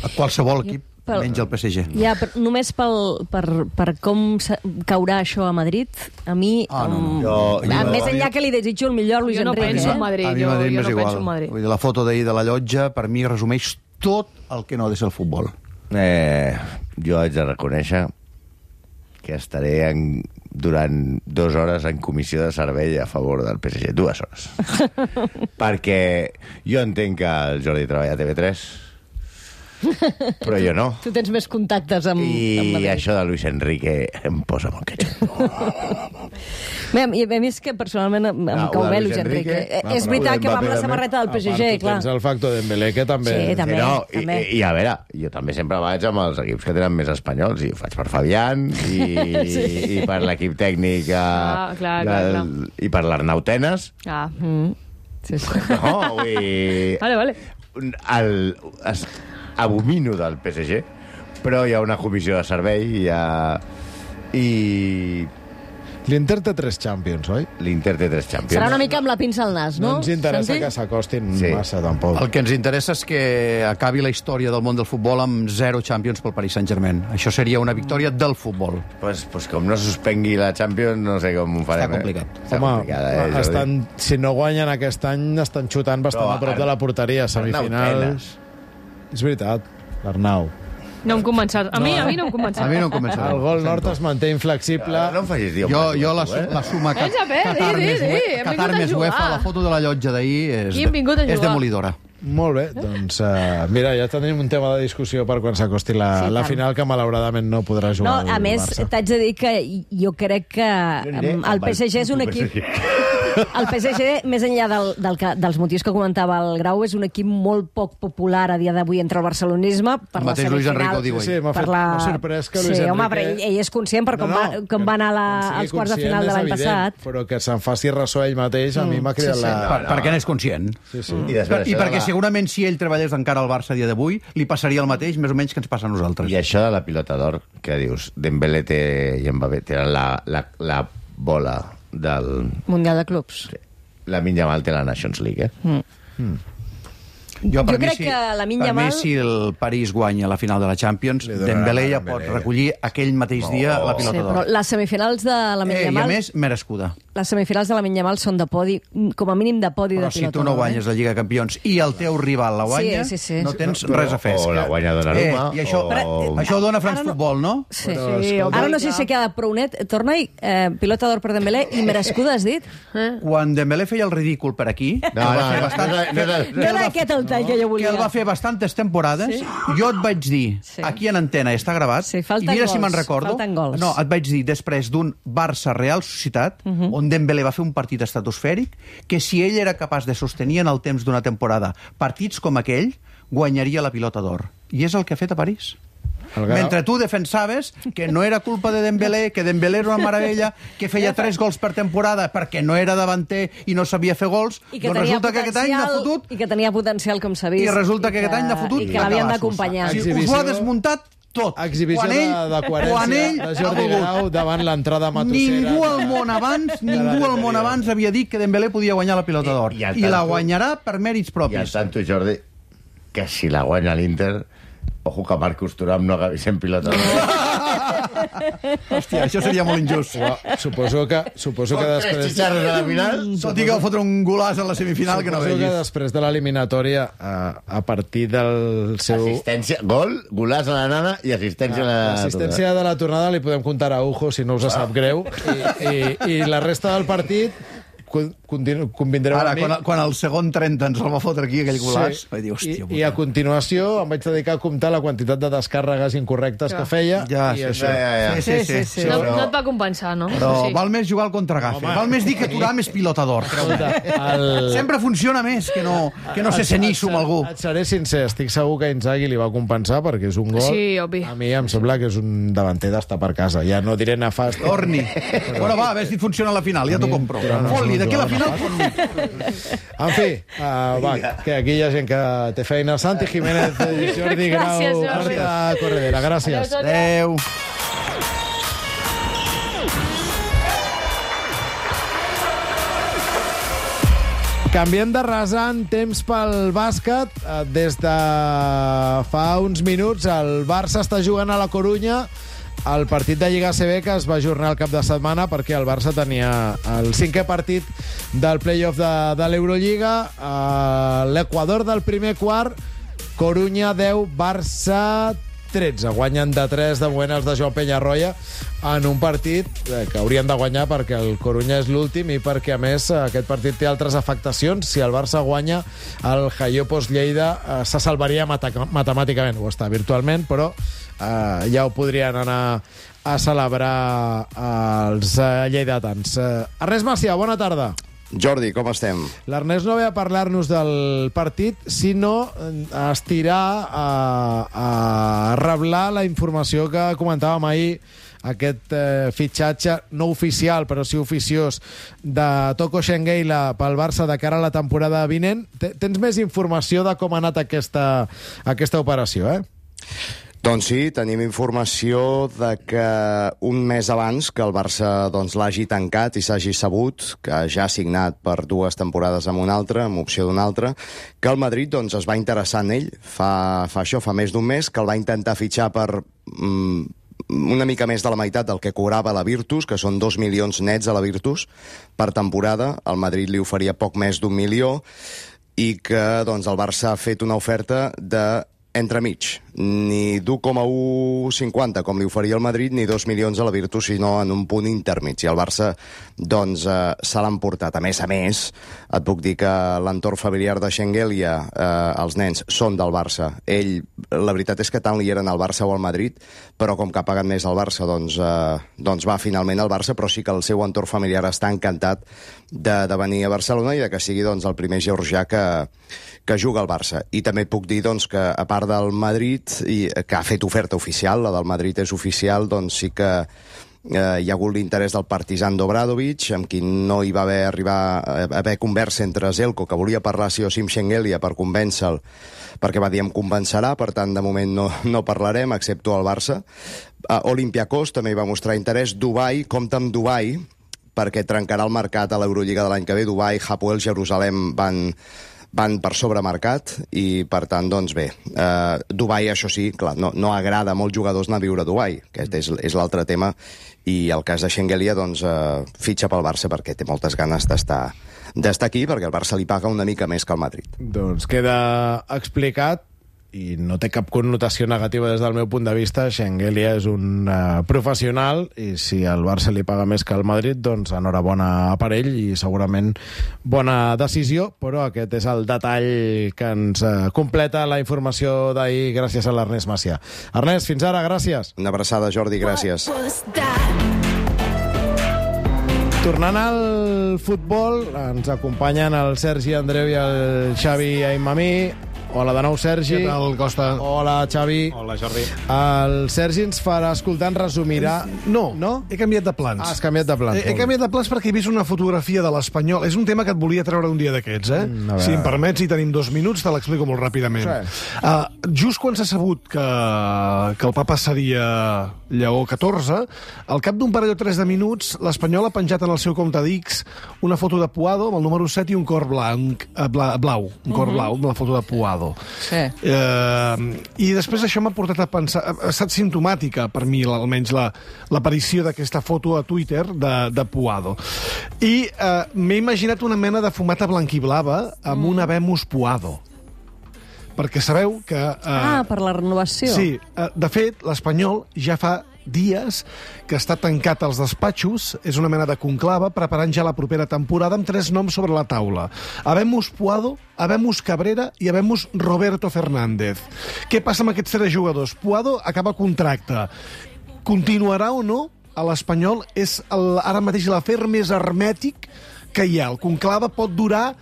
A qualsevol equip, menys el PSG. Ja, però només per com caurà això a Madrid, a mi... Més enllà que li desitjo el millor Luis Enrique. Jo no penso en Madrid. A mi Madrid m'és igual. Vull dir, la foto d'ahir de la llotja, per mi, resumeix tot el que no ha de ser el futbol. Jo haig de reconèixer que estaré durant 2 hores en comissió de servei a favor del PSG. 2 hores. Perquè jo entenc que el Jordi treballa a TV3, però jo no. Tu tens més contactes amb Madrid. I això de Luis Enrique em posa molt catxot. A més que personalment em cau bé Luis Enrique. És veritat que va amb la samarreta del PSG, clar. Tens el factor Dembélé, que també... Sí, també. I a veure, jo també sempre vaig amb els equips que tenen més espanyols, i ho faig per Fabián, i per l'equip tècnic, i per l'Arnau Tenes. Sí. No, vull dir... Vale. Abomino del PSG, però hi ha una comissió de servei i L'Inter té 3 Champions, oi? L'Inter té 3 Champions. Serà una mica amb la pinça al nas, no? No ens interessa que s'acostin massa, tampoc. El que ens interessa és que acabi la història del món del futbol amb 0 Champions pel Paris Saint-Germain. Això seria una victòria del futbol. Pues com no suspengui la Champions, no sé com ho farem. Està complicat. Home, si no guanyen aquest any, estan xutant bastant a prop de la porteria, semifinals. És veritat, l'Arnau. No em convençarà. A mi no em convençarà. A mi no em convençarà. El gol nord es manté inflexible. No em facis dir... Jo la suma Qatar més UEFA, la foto de la llotja d'ahir és demolidora. Molt bé, doncs mira, ja tenim un tema de discussió per quan s'acosti la final, que malauradament no podrà jugar el Barça. A més, t'haig de dir que jo crec que el PSG és un equip... El PSG, més enllà dels motius que comentava el Grau, és un equip molt poc popular a dia d'avui entre el barcelonisme. Per la mateix Luis Enrique ho diu. Sí, m'ha sorprès que Luis Enrique... Sí, home, però ell és conscient per com va anar als quarts de final de l'any passat. Però que se'n faci ressò ell mateix, a mi m'ha cridat la... Perquè n'és conscient. I perquè segurament si ell treballés encara al Barça a dia d'avui, li passaria el mateix, més o menys, que ens passa a nosaltres. I això de la pilota d'or, que dius, Dembélé i Mbappé tenen la bola del... Mundial de Clubs. Sí. Lamine Yamal té la Nations League, Jo crec que Lamine Yamal... Per mi, si el París guanya la final de la Champions, Dembélé ja pot recollir aquell mateix dia la pilota d'or. Però les semifinals de Lamine Yamal... I a més, merescuda. Les semifinals de Lamine Yamal són de podi, com a mínim de podi de pilota d'or. Però si tu no guanyes la Lliga de Campions i el teu rival la guanya, no tens res a fer. O la guanya Donnarumma. I això ho dona France Football, no? Sí. Ara no sé si queda prou net. Torna-hi, pilota d'or per Dembélé i merescuda, has dit? Quan Dembélé feia el ridícul per aquí... No era aquest el tall que jo volia. Que el va fer bastantes temporades. Jo et vaig dir, aquí en antena, està gravat, i mira si me'n recordo. No, et vaig dir, després d'un Barça-Real Societat, on Dembélé va fer un partit estratosfèric, que si ell era capaç de sostenir en el temps d'una temporada partits com aquell, guanyaria la pilota d'or. I és el que ha fet a París. Mentre tu defensaves que no era culpa de Dembélé, que Dembélé era una meravella, que feia 3 gols per temporada perquè no era davanter i no sabia fer gols, doncs resulta que aquest any n'ha fotut... I que tenia potencial, com s'ha vist. I resulta que aquest any n'ha fotut... I que l'havien d'acompanyar. Us ho ha desmuntat tot. Exhibició de coherència de Jordi Grau davant l'entrada matossera. Ningú al món abans havia dit que Dembélé podia guanyar la pilota d'or. I la guanyarà per mèrits propis. I al tanto, Jordi, que si la guanya l'Inter... Ojo que Marcus Thuram no acabi sent pilota d'or. Hòstia, això seria molt injust. Suposo que després... 3 xicharros a la final. Tot i que va fotre un golàs a la semifinal que no vegis. Suposo que després de l'eliminatòria, a partir del seu... Assistència, gol, golàs a la nana i assistència a la... L'assistència de la tornada li podem comptar a Ujo, si no us sap greu. I la resta del partit... convindreu ara, amb mi... quan el segon 30 ens el va fotre aquí, aquell golàs, vaig dir, hòstia... I a continuació em vaig dedicar a comptar la quantitat de descàrregues incorrectes que feia, i això... Sí. No et va compensar, no? Però val més jugar al contragafe. Val més dir que Thuram és pilota d'or. Sempre funciona més que no ser cenisso amb algú. Et seré sincer, estic segur que Inzaghi li va compensar perquè és un gol. Sí, obvi. A mi em sembla que és un davanter d'estar per casa. Ja no diré nefast. Torni. Bueno, va, a veure si funciona a la final, ja t'ho compro. Fot-li, d'aquí a la final... En fi, va, que aquí hi ha gent que té feina. Santi Jiménez, Jordi Grau, Marta Corredera. Gràcies. Adéu. Canviem de rasant, temps pel bàsquet. Des de fa uns minuts el Barça està jugant a la Corunya el partit de Lliga ACB que es va ajornar el cap de setmana perquè el Barça tenia el 5è partit del play-off de l'Eurolliga. L'Equador del primer quart, Corunya 10, Barça 13. Guanyen de 3 de moment els de Joan Peñarroya en un partit que haurien de guanyar perquè el Corunya és l'últim i perquè, a més, aquest partit té altres afectacions. Si el Barça guanya, el Jaiopos Lleida se salvaria matemàticament, o està virtualment, però ja ho podrien anar a celebrar els lleidatans. Ernest Macià, bona tarda. Jordi, com estem? L'Ernest no ve a parlar-nos del partit, sinó a estirar a reblar la informació que comentàvem ahir, aquest fitxatge no oficial, però sí oficiós, de Toko Shengeila pel Barça de cara a la temporada vinent. Tens més informació de com ha anat aquesta operació, Doncs sí, tenim informació de que un mes abans que el Barça l'hagi tancat i s'hagi sabut que ja ha signat per 2 temporades amb un altre, amb opció d'un altre, que el Madrid es va interessar en ell fa més d'un mes, que el va intentar fitxar per una mica més de la meitat del que cobrava la Virtus, que són 2 milions nets a la Virtus per temporada. El Madrid li oferia poc més d'1 milió i que el Barça ha fet una oferta de entremig, ni d'1,150 com li oferia el Madrid, ni 2 milions a la Virtus, sinó en un punt intermig. I el Barça, se l'han portat. A més, et puc dir que l'entorn familiar de Shengelia, els nens, són del Barça. Ell, la veritat és que tant li eren al Barça o al Madrid, però com que ha pagat més al Barça, va finalment al Barça, però sí que el seu entorn familiar està encantat de venir a Barcelona i de que sigui el primer georgià que juga al Barça. I també puc dir que, a part del Madrid, que ha fet oferta oficial, la del Madrid és oficial, sí que hi ha hagut l'interès del Partizan d'Obradovic, amb qui no hi va haver conversa entre Zelko, que volia parlar sí o sí amb Shengelia per convèncer-lo, perquè va dir em convencerà, per tant, de moment no parlarem, excepto el Barça. Olympiacos també hi va mostrar interès. Dubai, compta amb Dubai, perquè trencarà el mercat a l'Eurolliga de l'any que ve. Dubai, Hapoel, Jerusalem van van per sobremercat i, per tant, doncs bé, Dubai, això sí, clar, no agrada a molts jugadors anar a viure a Dubai, aquest és l'altre tema, i el cas de Shengelia, doncs, fitxa pel Barça perquè té moltes ganes d'estar aquí, perquè el Barça li paga una mica més que el Madrid. Doncs queda explicat, i no té cap connotació negativa des del meu punt de vista. Shengelia és un professional, i si el Barça li paga més que el Madrid, doncs enhorabona per ell i segurament bona decisió, però aquest és el detall que ens completa la informació d'ahir gràcies a l'Ernest Macià. Ernest, fins ara, gràcies. Una abraçada, Jordi, gràcies. Tornant al futbol, ens acompanyen el Sergi Andreu i el Xavi Aimamí. Hola de nou, Sergi. Què tal, Costa? Hola, Xavi. Hola, Jordi. El Sergi ens farà escoltar, ens resumirà... No? He canviat de plans. Has canviat de plans. He canviat de plans perquè he vist una fotografia de l'Espanyol. És un tema que et volia treure un dia d'aquests, Si em permets, i tenim 2 minuts, te l'explico molt ràpidament. Sí. Just quan s'ha sabut que el papa seria Lleó XIV, al cap d'un parell o 3 de minuts, l'Espanyol ha penjat en el seu compte d'X una foto de Puado amb el número 7 i un cor blau. Un cor blau amb la foto de Puado. Sí. I després això m'ha portat a pensar, ha estat simptomàtica per mi, almenys l'aparició d'aquesta foto a Twitter de Puado, i m'he imaginat una mena de fumata blanquiblava amb un Habemus Puado, perquè sabeu que... per la renovació. Sí, de fet, l'Espanyol ja fa dies que està tancat als despatxos, és una mena de conclava, preparant ja la propera temporada amb 3 noms sobre la taula. Habemus Puado, Habemus Cabrera i Habemus Roberto Fernández. Què passa amb aquests 3 jugadors? Puado acaba contracte. Continuarà o no a l'Espanyol? És ara mateix l'afer més hermètic que hi ha. El conclava pot durar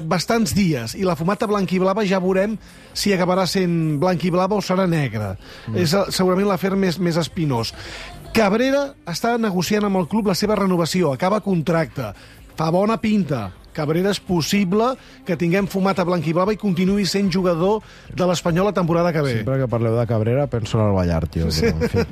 bastants dies, i la fumata blanquiblava ja veurem si acabarà sent blanquiblava o serà negra. És segurament l'afer més espinós. Cabrera està negociant amb el club la seva renovació, acaba contracte, fa bona pinta. Cabrera és possible que tinguem fumata blanquiblava i continuï sent jugador de l'Espanyol la temporada que ve. Sempre que parleu de Cabrera penso en el Ballart, jo. Sí. Però, en fi.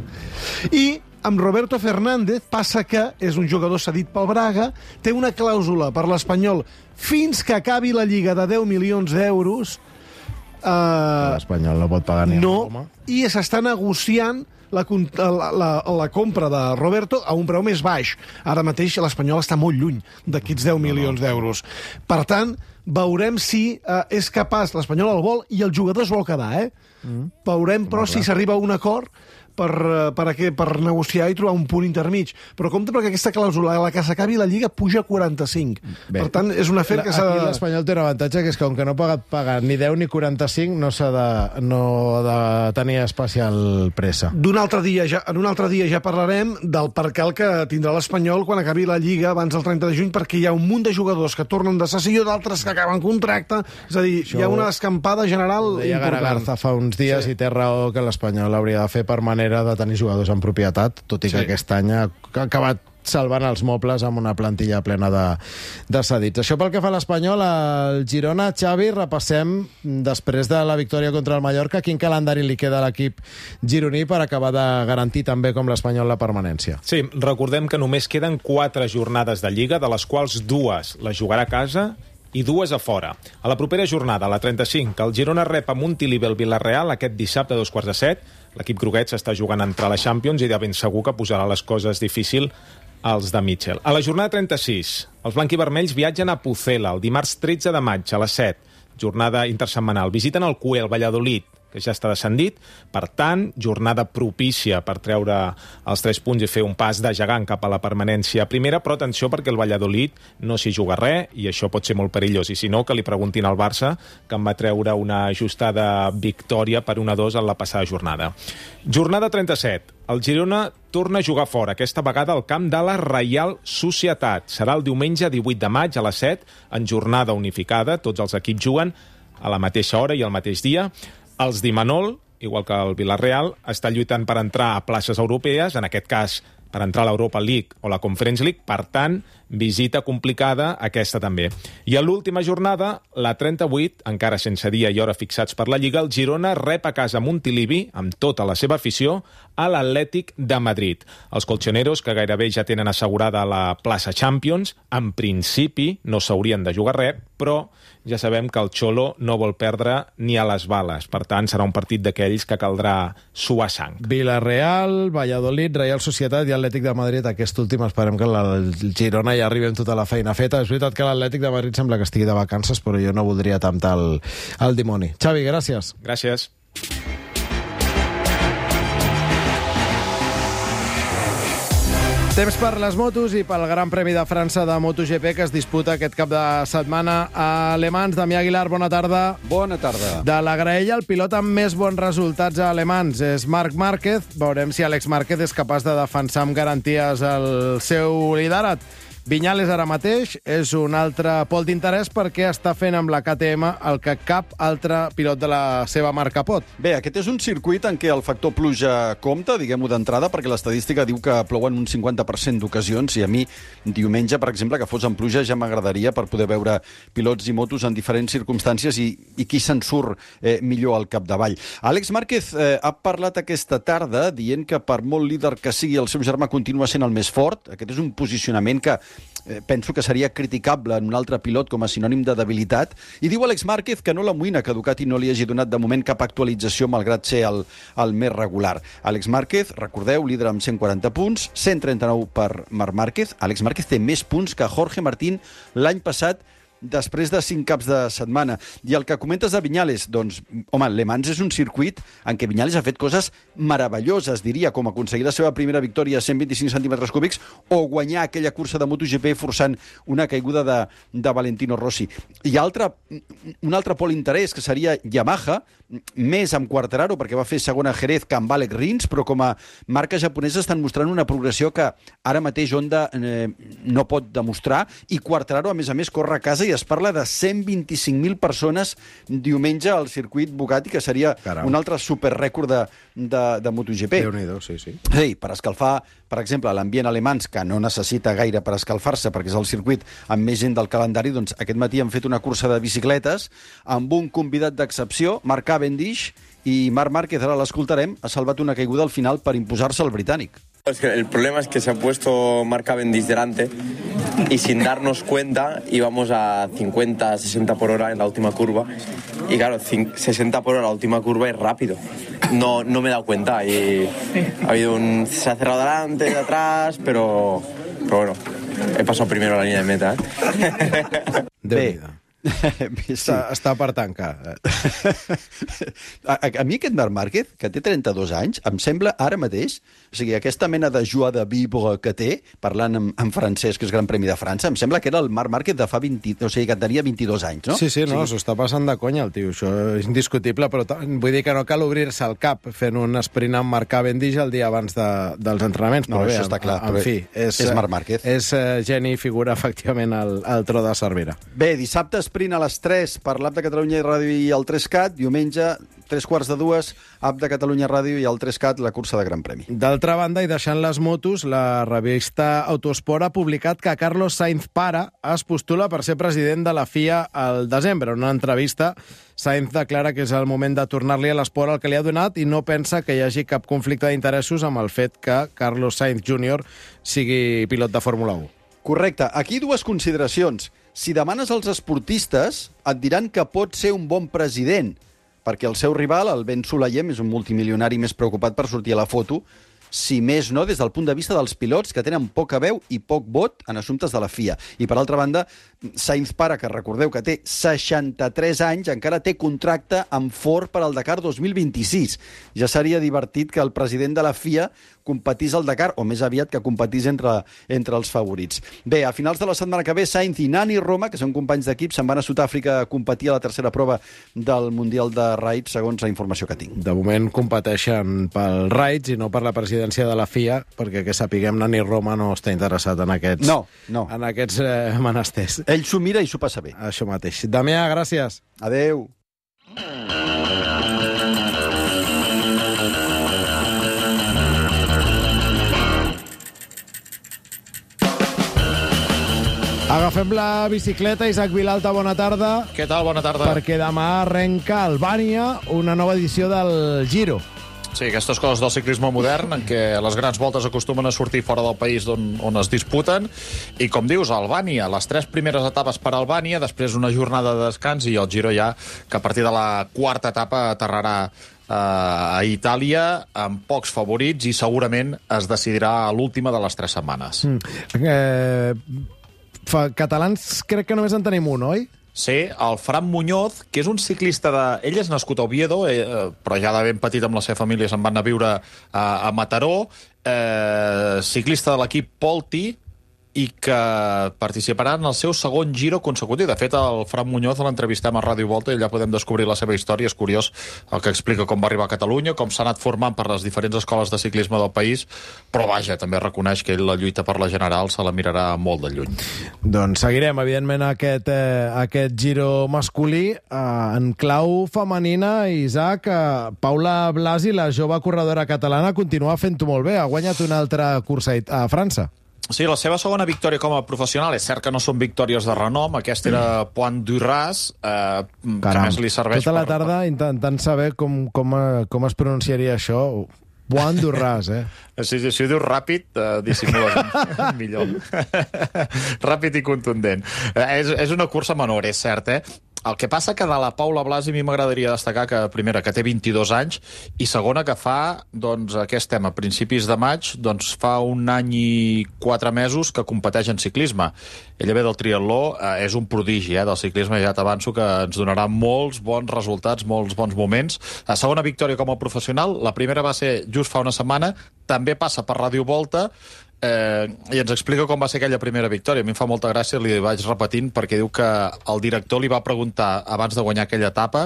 I amb Roberto Fernández passa que és un jugador cedit pel Braga, té una clàusula per l'Espanyol fins que acabi la Lliga de 10 milions d'euros. L'Espanyol no pot pagar ni a Roma. I s'està negociant la compra de Roberto a un preu més baix. Ara mateix l'Espanyol està molt lluny d'aquests 10 milions d'euros. Per tant, veurem si és capaç, l'Espanyol el vol i el jugador es vol quedar, Veurem, però, si s'arriba a un acord per negociar i trobar un punt intermig. Però compte, perquè aquesta clàusula, a la que s'acabi la Lliga, puja a 45. Bé, per tant, és un afer que s'ha de... Aquí l'Espanyol té un avantatge, que és que, com que no ha pagat ni 10 ni 45, no ha de tenir especial pressa. En un altre dia ja parlarem del percal que tindrà l'Espanyol quan acabi la Lliga abans del 30 de juny, perquè hi ha un munt de jugadors que tornen de cessió, d'altres que acaben contracte. És a dir, hi ha una escampada general important. Garza fa uns dies, i té raó, que l'Espanyol hauria de fer per manera de tenir jugadors en propietat, tot i que aquest any ha acabat salvant els mobles amb una plantilla plena de cedits. Això pel que fa a l'Espanyol. El Girona, Xavi, repassem, després de la victòria contra el Mallorca, quin calendari li queda a l'equip gironí per acabar de garantir també, com l'Espanyol, la permanència. Sí, recordem que només queden 4 jornades de Lliga, de les quals 2 les jugarà a casa i 2 a fora. A la propera jornada, la 35, el Girona rep a Montilivi el Villarreal aquest dissabte a 6:45. L'equip groguet s'està jugant a entrar a la Champions i de ben segur que posarà les coses difícil als de Mitchell. A la jornada 36, els blanquivermells viatgen a Pucela el dimarts 13 de maig a les 7, jornada intersetmanal. Visiten el CUE, el Valladolid, que ja està descendit. Per tant, jornada propícia per treure els 3 punts i fer un pas de gegant cap a la permanència primera, però atenció, perquè el Valladolid no s'hi juga res i això pot ser molt perillós. I si no, que li preguntin al Barça, que en va treure una ajustada victòria per 1-2 en la passada jornada. Jornada 37. El Girona torna a jugar fora, aquesta vegada al camp de la Reial Societat. Serà el diumenge 18 de maig a les 7, en jornada unificada. Tots els equips juguen a la mateixa hora i al mateix dia. Els d'Imanol, igual que el Villarreal, està lluitant per entrar a places europees, en aquest cas per entrar a l'Europa League o la Conference League. Per tant, visita complicada aquesta també. I a l'última jornada, la 38, encara sense dia i hora fixats per la Lliga, el Girona rep a casa Montilivi, amb tota la seva afició, a l'Atlètic de Madrid. Els colchoneros, que gairebé ja tenen assegurada la plaça Champions, en principi no s'haurien de jugar res, però ja sabem que el Xolo no vol perdre ni a les bales. Per tant, serà un partit d'aquells que caldrà suar sang. Villarreal, Valladolid, Real Societat i Atlètic de Madrid. Aquest últim esperem que el Girona ja arribi amb tota la feina feta. És veritat que l'Atlètic de Madrid sembla que estigui de vacances, però jo no voldria temptar el dimoni. Xavi, gràcies. Gràcies. Temps per les motos i pel Gran Premi de França de MotoGP que es disputa aquest cap de setmana a Le Mans. Damià Aguilar, bona tarda. Bona tarda. De la graella, el pilot amb més bons resultats a Le Mans és Marc Márquez. Veurem si Àlex Márquez és capaç de defensar amb garanties el seu liderat. Viñales ara mateix és un altre pol d'interès perquè està fent amb la KTM el que cap altre pilot de la seva marca pot. Bé, aquest és un circuit en què el factor pluja compta, diguem-ho d'entrada, perquè l'estadística diu que plouen un 50% d'ocasions i a mi diumenge, per exemple, que fos en pluja ja m'agradaria per poder veure pilots i motos en diferents circumstàncies i qui se'n surt millor al capdavall. Àlex Márquez ha parlat aquesta tarda dient que per molt líder que sigui el seu germà continua sent el més fort. Aquest és un posicionament que penso que seria criticable en un altre pilot com a sinònim de debilitat. I diu Àlex Márquez que no l'amoïna que Ducati no li hagi donat de moment cap actualització malgrat ser el més regular. Àlex Márquez, recordeu, líder amb 140 punts, 139 per Marc Márquez. Àlex Márquez té més punts que Jorge Martín l'any passat després de 5 caps de setmana. I el que comentes de Viñales, doncs, home, Le Mans és un circuit en què Viñales ha fet coses meravelloses, diria, com aconseguir la seva primera victòria a 125 centímetres cúbics o guanyar aquella cursa de MotoGP forçant una caiguda de Valentino Rossi. I un altre pol interès, que seria Yamaha, més amb Quartararo, perquè va fer segona a Jerez que amb Alex Rins, però com a marca japonesa estan mostrant una progressió que ara mateix Honda no pot demostrar, i Quartararo, a més, corre a casa i es parla de 125.000 persones diumenge al circuit Bugatti, que seria un altre superrècord de MotoGP. Déu-n'hi-do, sí. Sí, per escalfar, per exemple, l'ambient alemans, que no necessita gaire per escalfar-se, perquè és el circuit amb més gent del calendari, doncs aquest matí han fet una cursa de bicicletes amb un convidat d'excepció, Mark Cavendish, i Marc Márquez, ara l'escoltarem, ha salvat una caiguda al final per imposar-se al britànic. Es que el problema es que se ha puesto Marc Cavendish delante y sin darnos cuenta íbamos a 50, 60 por hora en la última curva y claro, 60 por hora la última curva es rápido. No me he dado cuenta y ha habido se ha cerrado delante, de atrás, pero bueno, he pasado primero a la línea de meta. Déu-n'hi-do. Està per tancar. A mi aquest Marc Márquez, que té 32 anys, em sembla ara mateix, o sigui, aquesta mena de joie de vivre que té, parlant en francès, que és Gran Premi de França, em sembla que era el Marc Márquez de fa 20, o sigui, que tenia 22 anys, no? Sí, no, s'ho està passant de conya el tio, això és indiscutible, però vull dir que no cal obrir-se el cap fent un sprint amb Marc Cavendish el dia abans dels entrenaments. No, això està clar, en fi, és Marc Márquez. És geni i figura, efectivament, al tro de Cervera. Bé, dissabte sprint a les 3 per l'App de Catalunya Ràdio i el 3CAT, diumenge 3:15, App de Catalunya Ràdio i el 3CAT, la cursa de Gran Premi. D'altra banda, i deixant les motos, la revista Autosport ha publicat que Carlos Sainz pare es postula per ser president de la FIA al desembre. En una entrevista, Sainz declara que és el moment de tornar-li a l'esport el que li ha donat i no pensa que hi hagi cap conflicte d'interessos amb el fet que Carlos Sainz Jr. sigui pilot de Fórmula 1. Correcte. Aquí dues consideracions. Si demanes als esportistes, et diran que pot ser un bon president, perquè el seu rival, el Ben Sulayem, és un multimilionari més preocupat per sortir a la foto, si més no, des del punt de vista dels pilots que tenen poca veu i poc vot en assumptes de la FIA. I, per altra banda, Sainz pare, que recordeu que té 63 anys, encara té contracte amb Ford per al Dakar 2026. Ja seria divertit que el president de la FIA competís al Dakar, o més aviat que competís entre els favorits. Bé, a finals de la setmana que ve, Sainz i Nani Roma, que són companys d'equip, se'n van a Sud-àfrica a competir a la tercera prova del Mundial de Raids, segons la informació que tinc. De moment competeixen pel Raids i no per la presidència de la FIA, perquè que sapiguem, Nani Roma no està interessat en aquests, en aquests menesters. Ell s'ho mira i s'ho passa bé. Això mateix. Damià, gràcies. Adeu. Agafem la bicicleta. Isaac Vilalta, bona tarda. Què tal? Bona tarda. Perquè demà arrenca a Albània una nova edició del Giro. Sí, aquestes coses del ciclisme modern, en què les grans voltes acostumen a sortir fora del país on es disputen, i com dius, Albània, les 3 primeres etapes per Albània, després una jornada de descans, i el Giro ja, que a partir de la 4ª etapa aterrarà a Itàlia, amb pocs favorits, i segurament es decidirà a l'última de les 3 setmanes. Catalans crec que només en tenim un, oi? Sí, el Fran Muñoz, que és un ciclista de... Ell és nascut a Oviedo, però ja de ben petit amb la seva família se'n van anar a viure a Mataró, ciclista de l'equip Polti, i que participarà en el seu segon Giro consecutiu. De fet, el Fran Muñoz l'entrevistem a Ràdio Volta i allà podem descobrir la seva història. És curiós el que explica com va arribar a Catalunya, com s'ha anat formant per les diferents escoles de ciclisme del país, però vaja, també reconeix que ell la lluita per la general se la mirarà molt de lluny. Doncs seguirem, evidentment, aquest Giro masculí. En clau femenina, Isaac, Paula Blasi, la jove corredora catalana, continua fent-ho molt bé. Ha guanyat una altra cursa a França. Sí, la seva segona victòria com a professional. És cert que no són victòries de renom. Aquesta era Pointe du Ras, que més li serveix... Tota la tarda intentant saber com es pronunciaria això. Pointe du Ras, Si ho dius ràpid, dissimules millor. Ràpid i contundent. És una cursa menor, és cert, El que passa que de la Paula Blasi a mi m'agradaria destacar que, primera, que té 22 anys, i segona, que fa, doncs, aquest tema, a principis de maig, doncs fa 1 any i 4 mesos que competeix en ciclisme. Ella ve del triatló, és un prodigi del ciclisme, ja t'avanço que ens donarà molts bons resultats, molts bons moments. La segona victòria com a professional, la primera va ser just fa una setmana, també passa per Ràdio Volta, i ens explica com va ser aquella primera victòria. A mi em fa molta gràcia, li vaig repetint, perquè diu que el director li va preguntar abans de guanyar aquella etapa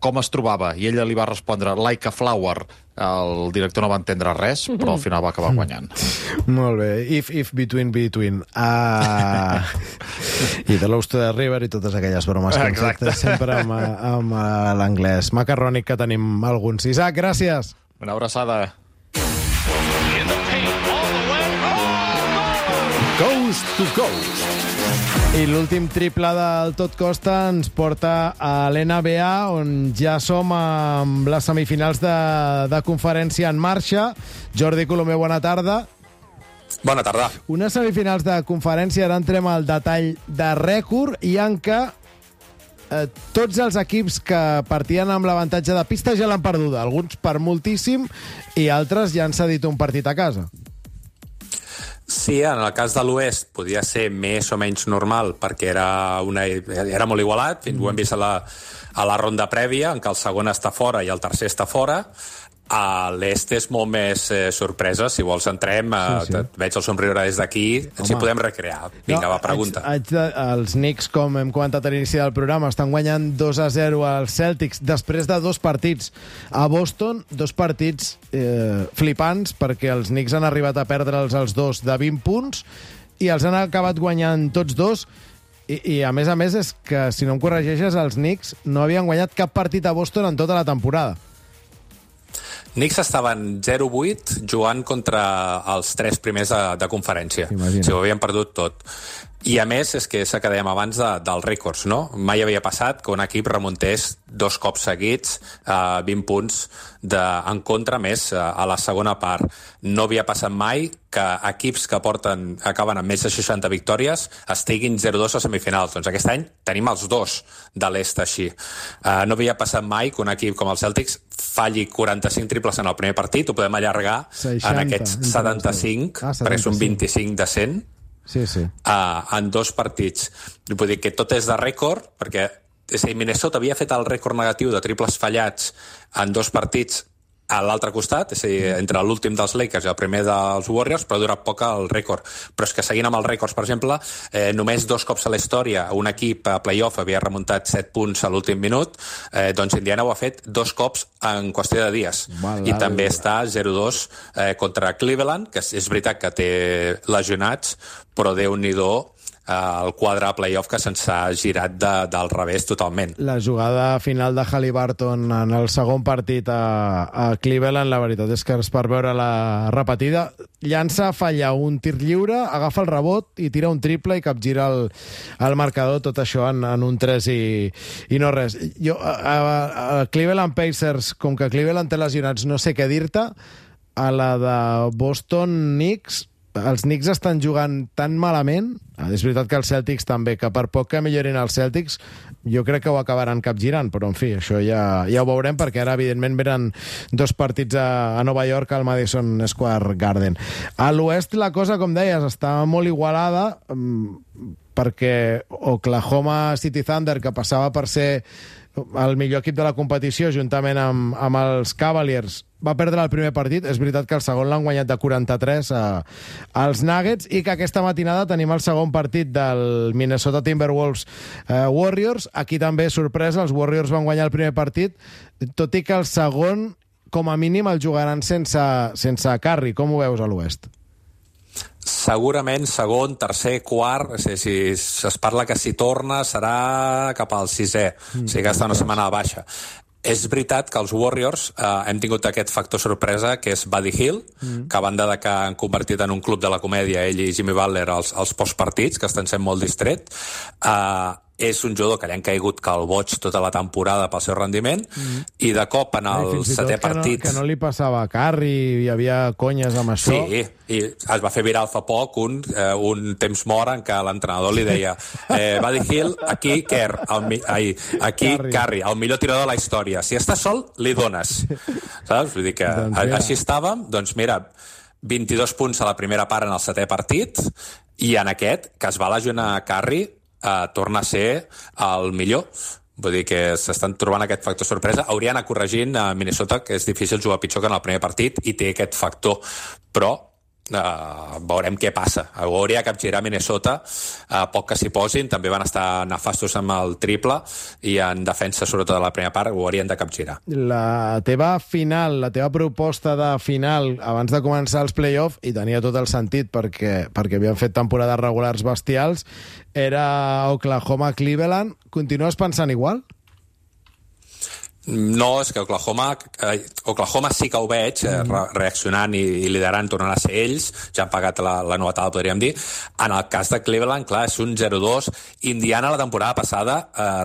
com es trobava, i ella li va respondre like a flower. El director no va entendre res, però al final va acabar guanyant. Molt bé. If, between. I The Lost to the River i totes aquelles bromes que hem fet sempre amb l'anglès macarrònic que tenim alguns. Isaac, gràcies. Una abraçada. Coast to Coast. I l'últim triple del Tot Costa ens porta a l'NBA, on ja som amb les semifinals de conferència en marxa. Jordi Colomer, bona tarda. Bona tarda. Unes semifinals de conferència, ara entrem al detall de rècord, i en què tots els equips que partien amb l'avantatge de pista ja l'han perduda. Alguns per moltíssim i altres ja han cedit un partit a casa. Sí, en el cas de l'Oest podia ser més o menys normal perquè era molt igualat, ho hem vist a la ronda prèvia, en què el segon està fora i el tercer està fora. A l'est és molt més sorpresa. Si vols entrem, veig el somriure des d'aquí, ens hi podem recrear. Vinga, va, pregunta. Els Knicks, com hem comentat a l'inici del programa, estan guanyant 2-0 als Celtics després de 2 partits a Boston, 2 partits flipants, perquè els Knicks han arribat a perdre'ls els 2 de 20 punts i els han acabat guanyant tots 2. I a més, és que, si no em corregeixes, els Knicks no havien guanyat cap partit a Boston en tota la temporada. Knicks estaven 0-8 jugant contra els 3 primers de conferència. Imagina. Si ho havien perdut tot. I a més, és que que dèiem abans dels rècords, no? Mai havia passat que un equip remuntés 2 cops seguits 20 punts en contra, més a la segona part. No havia passat mai que equips que acaben amb més de 60 victòries estiguin 0-2 a semifinals. Doncs aquest any tenim els 2 de l'est així. No havia passat mai que un equip com el Celtics falli 45 triples en el primer partit. Ho podem allargar 60, en aquests 75, perquè són 25 de 100. Sí. En 2 partits. Vull dir que tot és de rècord, perquè Minnesota havia fet el rècord negatiu de triples fallats en 2 partits a l'altre costat, és a dir, entre l'últim dels Lakers i el primer dels Warriors, però ha durat poc el rècord. Però és que seguint amb els rècords, per exemple, només 2 cops a la història un equip a playoff havia remuntat 7 punts a l'últim minut, doncs Indiana ho ha fet 2 cops en qüestió de dies. I també està 0-2 contra Cleveland, que és veritat que té lesionats, però Déu-n'hi-do el quadre de play-off que se'ns ha girat del revés totalment. La jugada final de Haliburton en el segon partit a Cleveland, la veritat és que és per veure la repetida. Llança, falla un tir lliure, agafa el rebot i tira un triple i capgira el marcador, tot això en un 3 i no res. Jo, a Cleveland Pacers, com que Cleveland té lesionats, no sé què dir-te. A la de Boston Knicks, els Knicks estan jugant tan malament, és veritat que els Celtics també, que per poc que millorin els Celtics, jo crec que ho acabaran capgirant, però en fi, això ja ho veurem, perquè ara evidentment venen 2 partits a Nova York al Madison Square Garden. A l'oest la cosa, com deies, està molt igualada, perquè Oklahoma City Thunder, que passava per ser el millor equip de la competició juntament amb els Cavaliers, va perdre el primer partit. És veritat que el segon l'han guanyat de 43 als Nuggets, i que aquesta matinada tenim el segon partit del Minnesota Timberwolves Warriors. Aquí també, sorpresa, els Warriors van guanyar el primer partit, tot i que el segon, com a mínim, el jugaran sense Curry. Com ho veus a l'oest? Segurament segon, tercer, quart, si es parla que si torna serà cap al sisè, o sigui que està una setmana baixa. És veritat que els Warriors hem tingut aquest factor sorpresa, que és Buddy Hield, que a banda de que han convertit en un club de la comèdia ell i Jimmy Butler als postpartits, que estan sent molt distrets, és un jugador que li han caigut calboig tota la temporada pel seu rendiment, i de cop en el setè partit... Que no li passava a Curry, hi havia conyes amb això. Sí, i es va fer viral fa poc un temps mort en què l'entrenador li deia Buddy Hield, aquí Curry, el millor tirador de la història. Si està sol, li dones. Saps? Vull dir que així estàvem. Doncs mira, 22 punts a la primera part en el setè partit, i en aquest, que es va lesionar Curry, torna a ser el millor. Vull dir que s'estan trobant aquest factor sorpresa. Hauria d'anar corregint a Minnesota, que és difícil jugar pitjor que en el primer partit, i té aquest factor, però veurem què passa. Ho hauria de capgirar Minnesota, poc que s'hi posin. També van estar nefastos amb el triple, i en defensa, sobretot a la primera part, ho haurien de capgirar. La teva proposta de final abans de començar els play-off, i tenia tot el sentit perquè havien fet temporades regulars bestials, era Oklahoma-Cleveland. Continues pensant igual? No, és que Oklahoma sí que ho veig reaccionant i liderant, tornant a ser ells, ja han pagat la novetada, podríem dir. En el cas de Cleveland, clar, és un 0-2. Indiana la temporada passada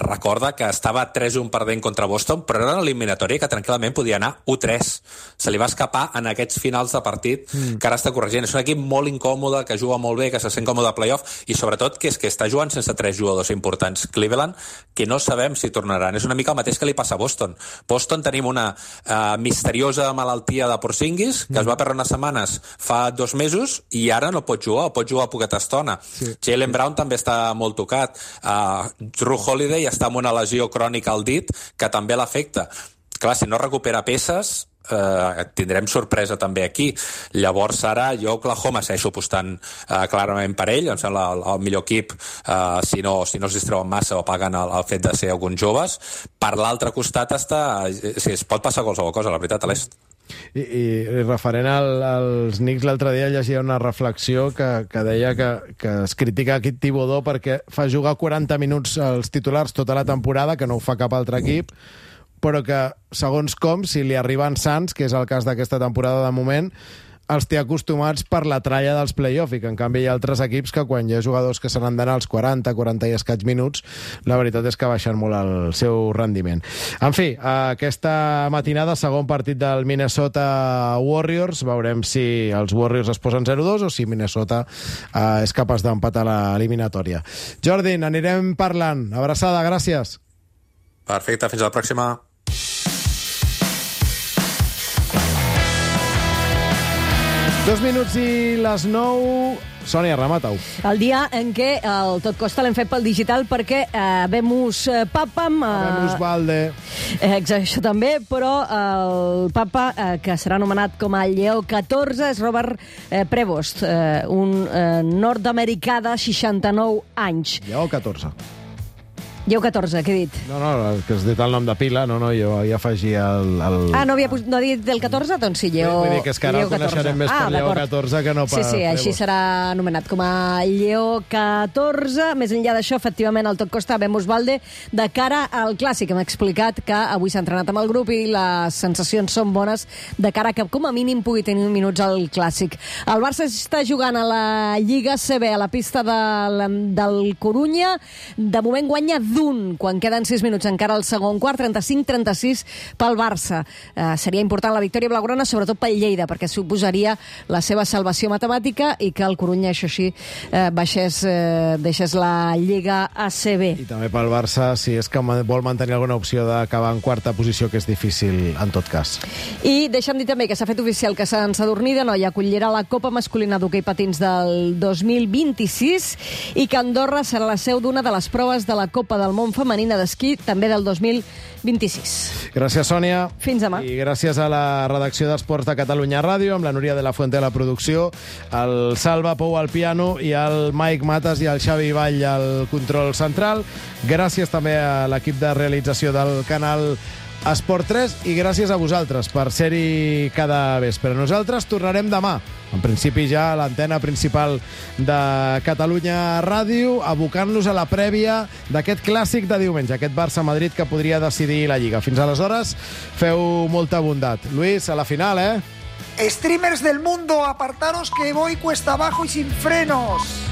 recorda que estava 3-1 perdent contra Boston, però era una eliminatòria que tranquil·lament podia anar 1-3. Se li va escapar en aquests finals de partit que ara està corregint. És un equip molt incòmode, que juga molt bé, que se sent còmode a playoff, i sobretot que està jugant sense 3 jugadors importants. Cleveland, que no sabem si tornaran. És una mica el mateix que li passa a Boston. Boston tenim una misteriosa malaltia de Porzingis, que es va perdre unes setmanes fa 2 mesos, i ara no pot jugar, o pot jugar poqueta estona. Sí. Jaylen Brown també està molt tocat. Jrue Holiday està amb una lesió crònica al dit, que també l'afecta. Clar, si no recupera peces, tindrem sorpresa també aquí. Llavors ara jo Oklahoma segueixo apostant clarament per ell, em sembla el millor equip, si no es distreuen massa o paguen el fet de ser alguns joves. Per l'altre costat es pot passar qualsevol cosa, la veritat, a l'est. I referent als Knicks, l'altre dia llegia una reflexió que deia que es critica aquest Thibodeau perquè fa jugar 40 minuts als titulars tota la temporada, que no ho fa cap altre equip, però que, segons com, si li arriben sants, que és el cas d'aquesta temporada de moment, els té acostumats per la tralla dels play-off, i que en canvi hi ha altres equips que quan hi ha jugadors que se n'han d'anar als 40 i escaig minuts, la veritat és que baixen molt el seu rendiment. En fi, aquesta matinada, segon partit del Minnesota Warriors. Veurem si els Warriors es posen 0-2 o si Minnesota és capaç d'empatar l'eliminatòria. Jordi, anirem parlant. Abraçada, gràcies. Perfecte, fins a la pròxima. Dos minuts i les 9. Sònia, remata-ho. El dia en què el Tot Costa l'hem fet pel digital perquè Habemus Papam... Habemus Valde. Això també, però el papa que serà anomenat com a Lleó XIV és Robert Prevost, un nord-americà de 69 anys. Lleó XIV. Lleu 14, què he dit? No, que has dit el nom de pila, no, jo hi afegia el... Ah, no ha dit del 14? Doncs sí, Lleó 14. Vull dir que és que ara el coneixerem més per Lleó 14 que no per... Sí, així serà anomenat com a Lleó 14. Més enllà d'això, efectivament, el tot costa Vemos Valde de cara al Clàssic. Hem explicat que avui s'ha entrenat amb el grup i les sensacions són bones de cara que, com a mínim, pugui tenir minuts al Clàssic. El Barça està jugant a la Lliga CB, a la pista del Corunya. De moment guanya quan queden 6 minuts encara al segon quart, 35-36 pel Barça. Seria important la victòria blaugrana, sobretot pel Lleida, perquè suposaria la seva salvació matemàtica i que el Corunya, això sí, deixés la Lliga ACB. I també pel Barça, si és que vol mantenir alguna opció d'acabar en quarta posició, que és difícil en tot cas. I deixa'm dir també que s'ha fet oficial que Sant Sadurní d'Anoia acollirà la Copa Masculina d'Hoquei Patins del 2026 i que Andorra serà la seu d'una de les proves de la Copa del Món femenina d'esquí, també del 2026. Gràcies, Sònia. Fins demà. I gràcies a la redacció d'Esports de Catalunya Ràdio, amb la Núria de la Fuente a la producció, el Salva Pou al piano i el Mike Matas i el Xavi Vall al control central. Gràcies també a l'equip de realització del canal Esport 3 i gràcies a vosaltres per ser-hi cada vespre. Nosaltres tornarem demà, en principi ja a l'antena principal de Catalunya Ràdio, abocant-nos a la prèvia d'aquest clàssic de diumenge, aquest Barça-Madrid que podria decidir la Lliga. Fins aleshores, feu molta bondat. Luis, a la final, Streamers del mundo, apartaros que voy cuesta abajo y sin frenos.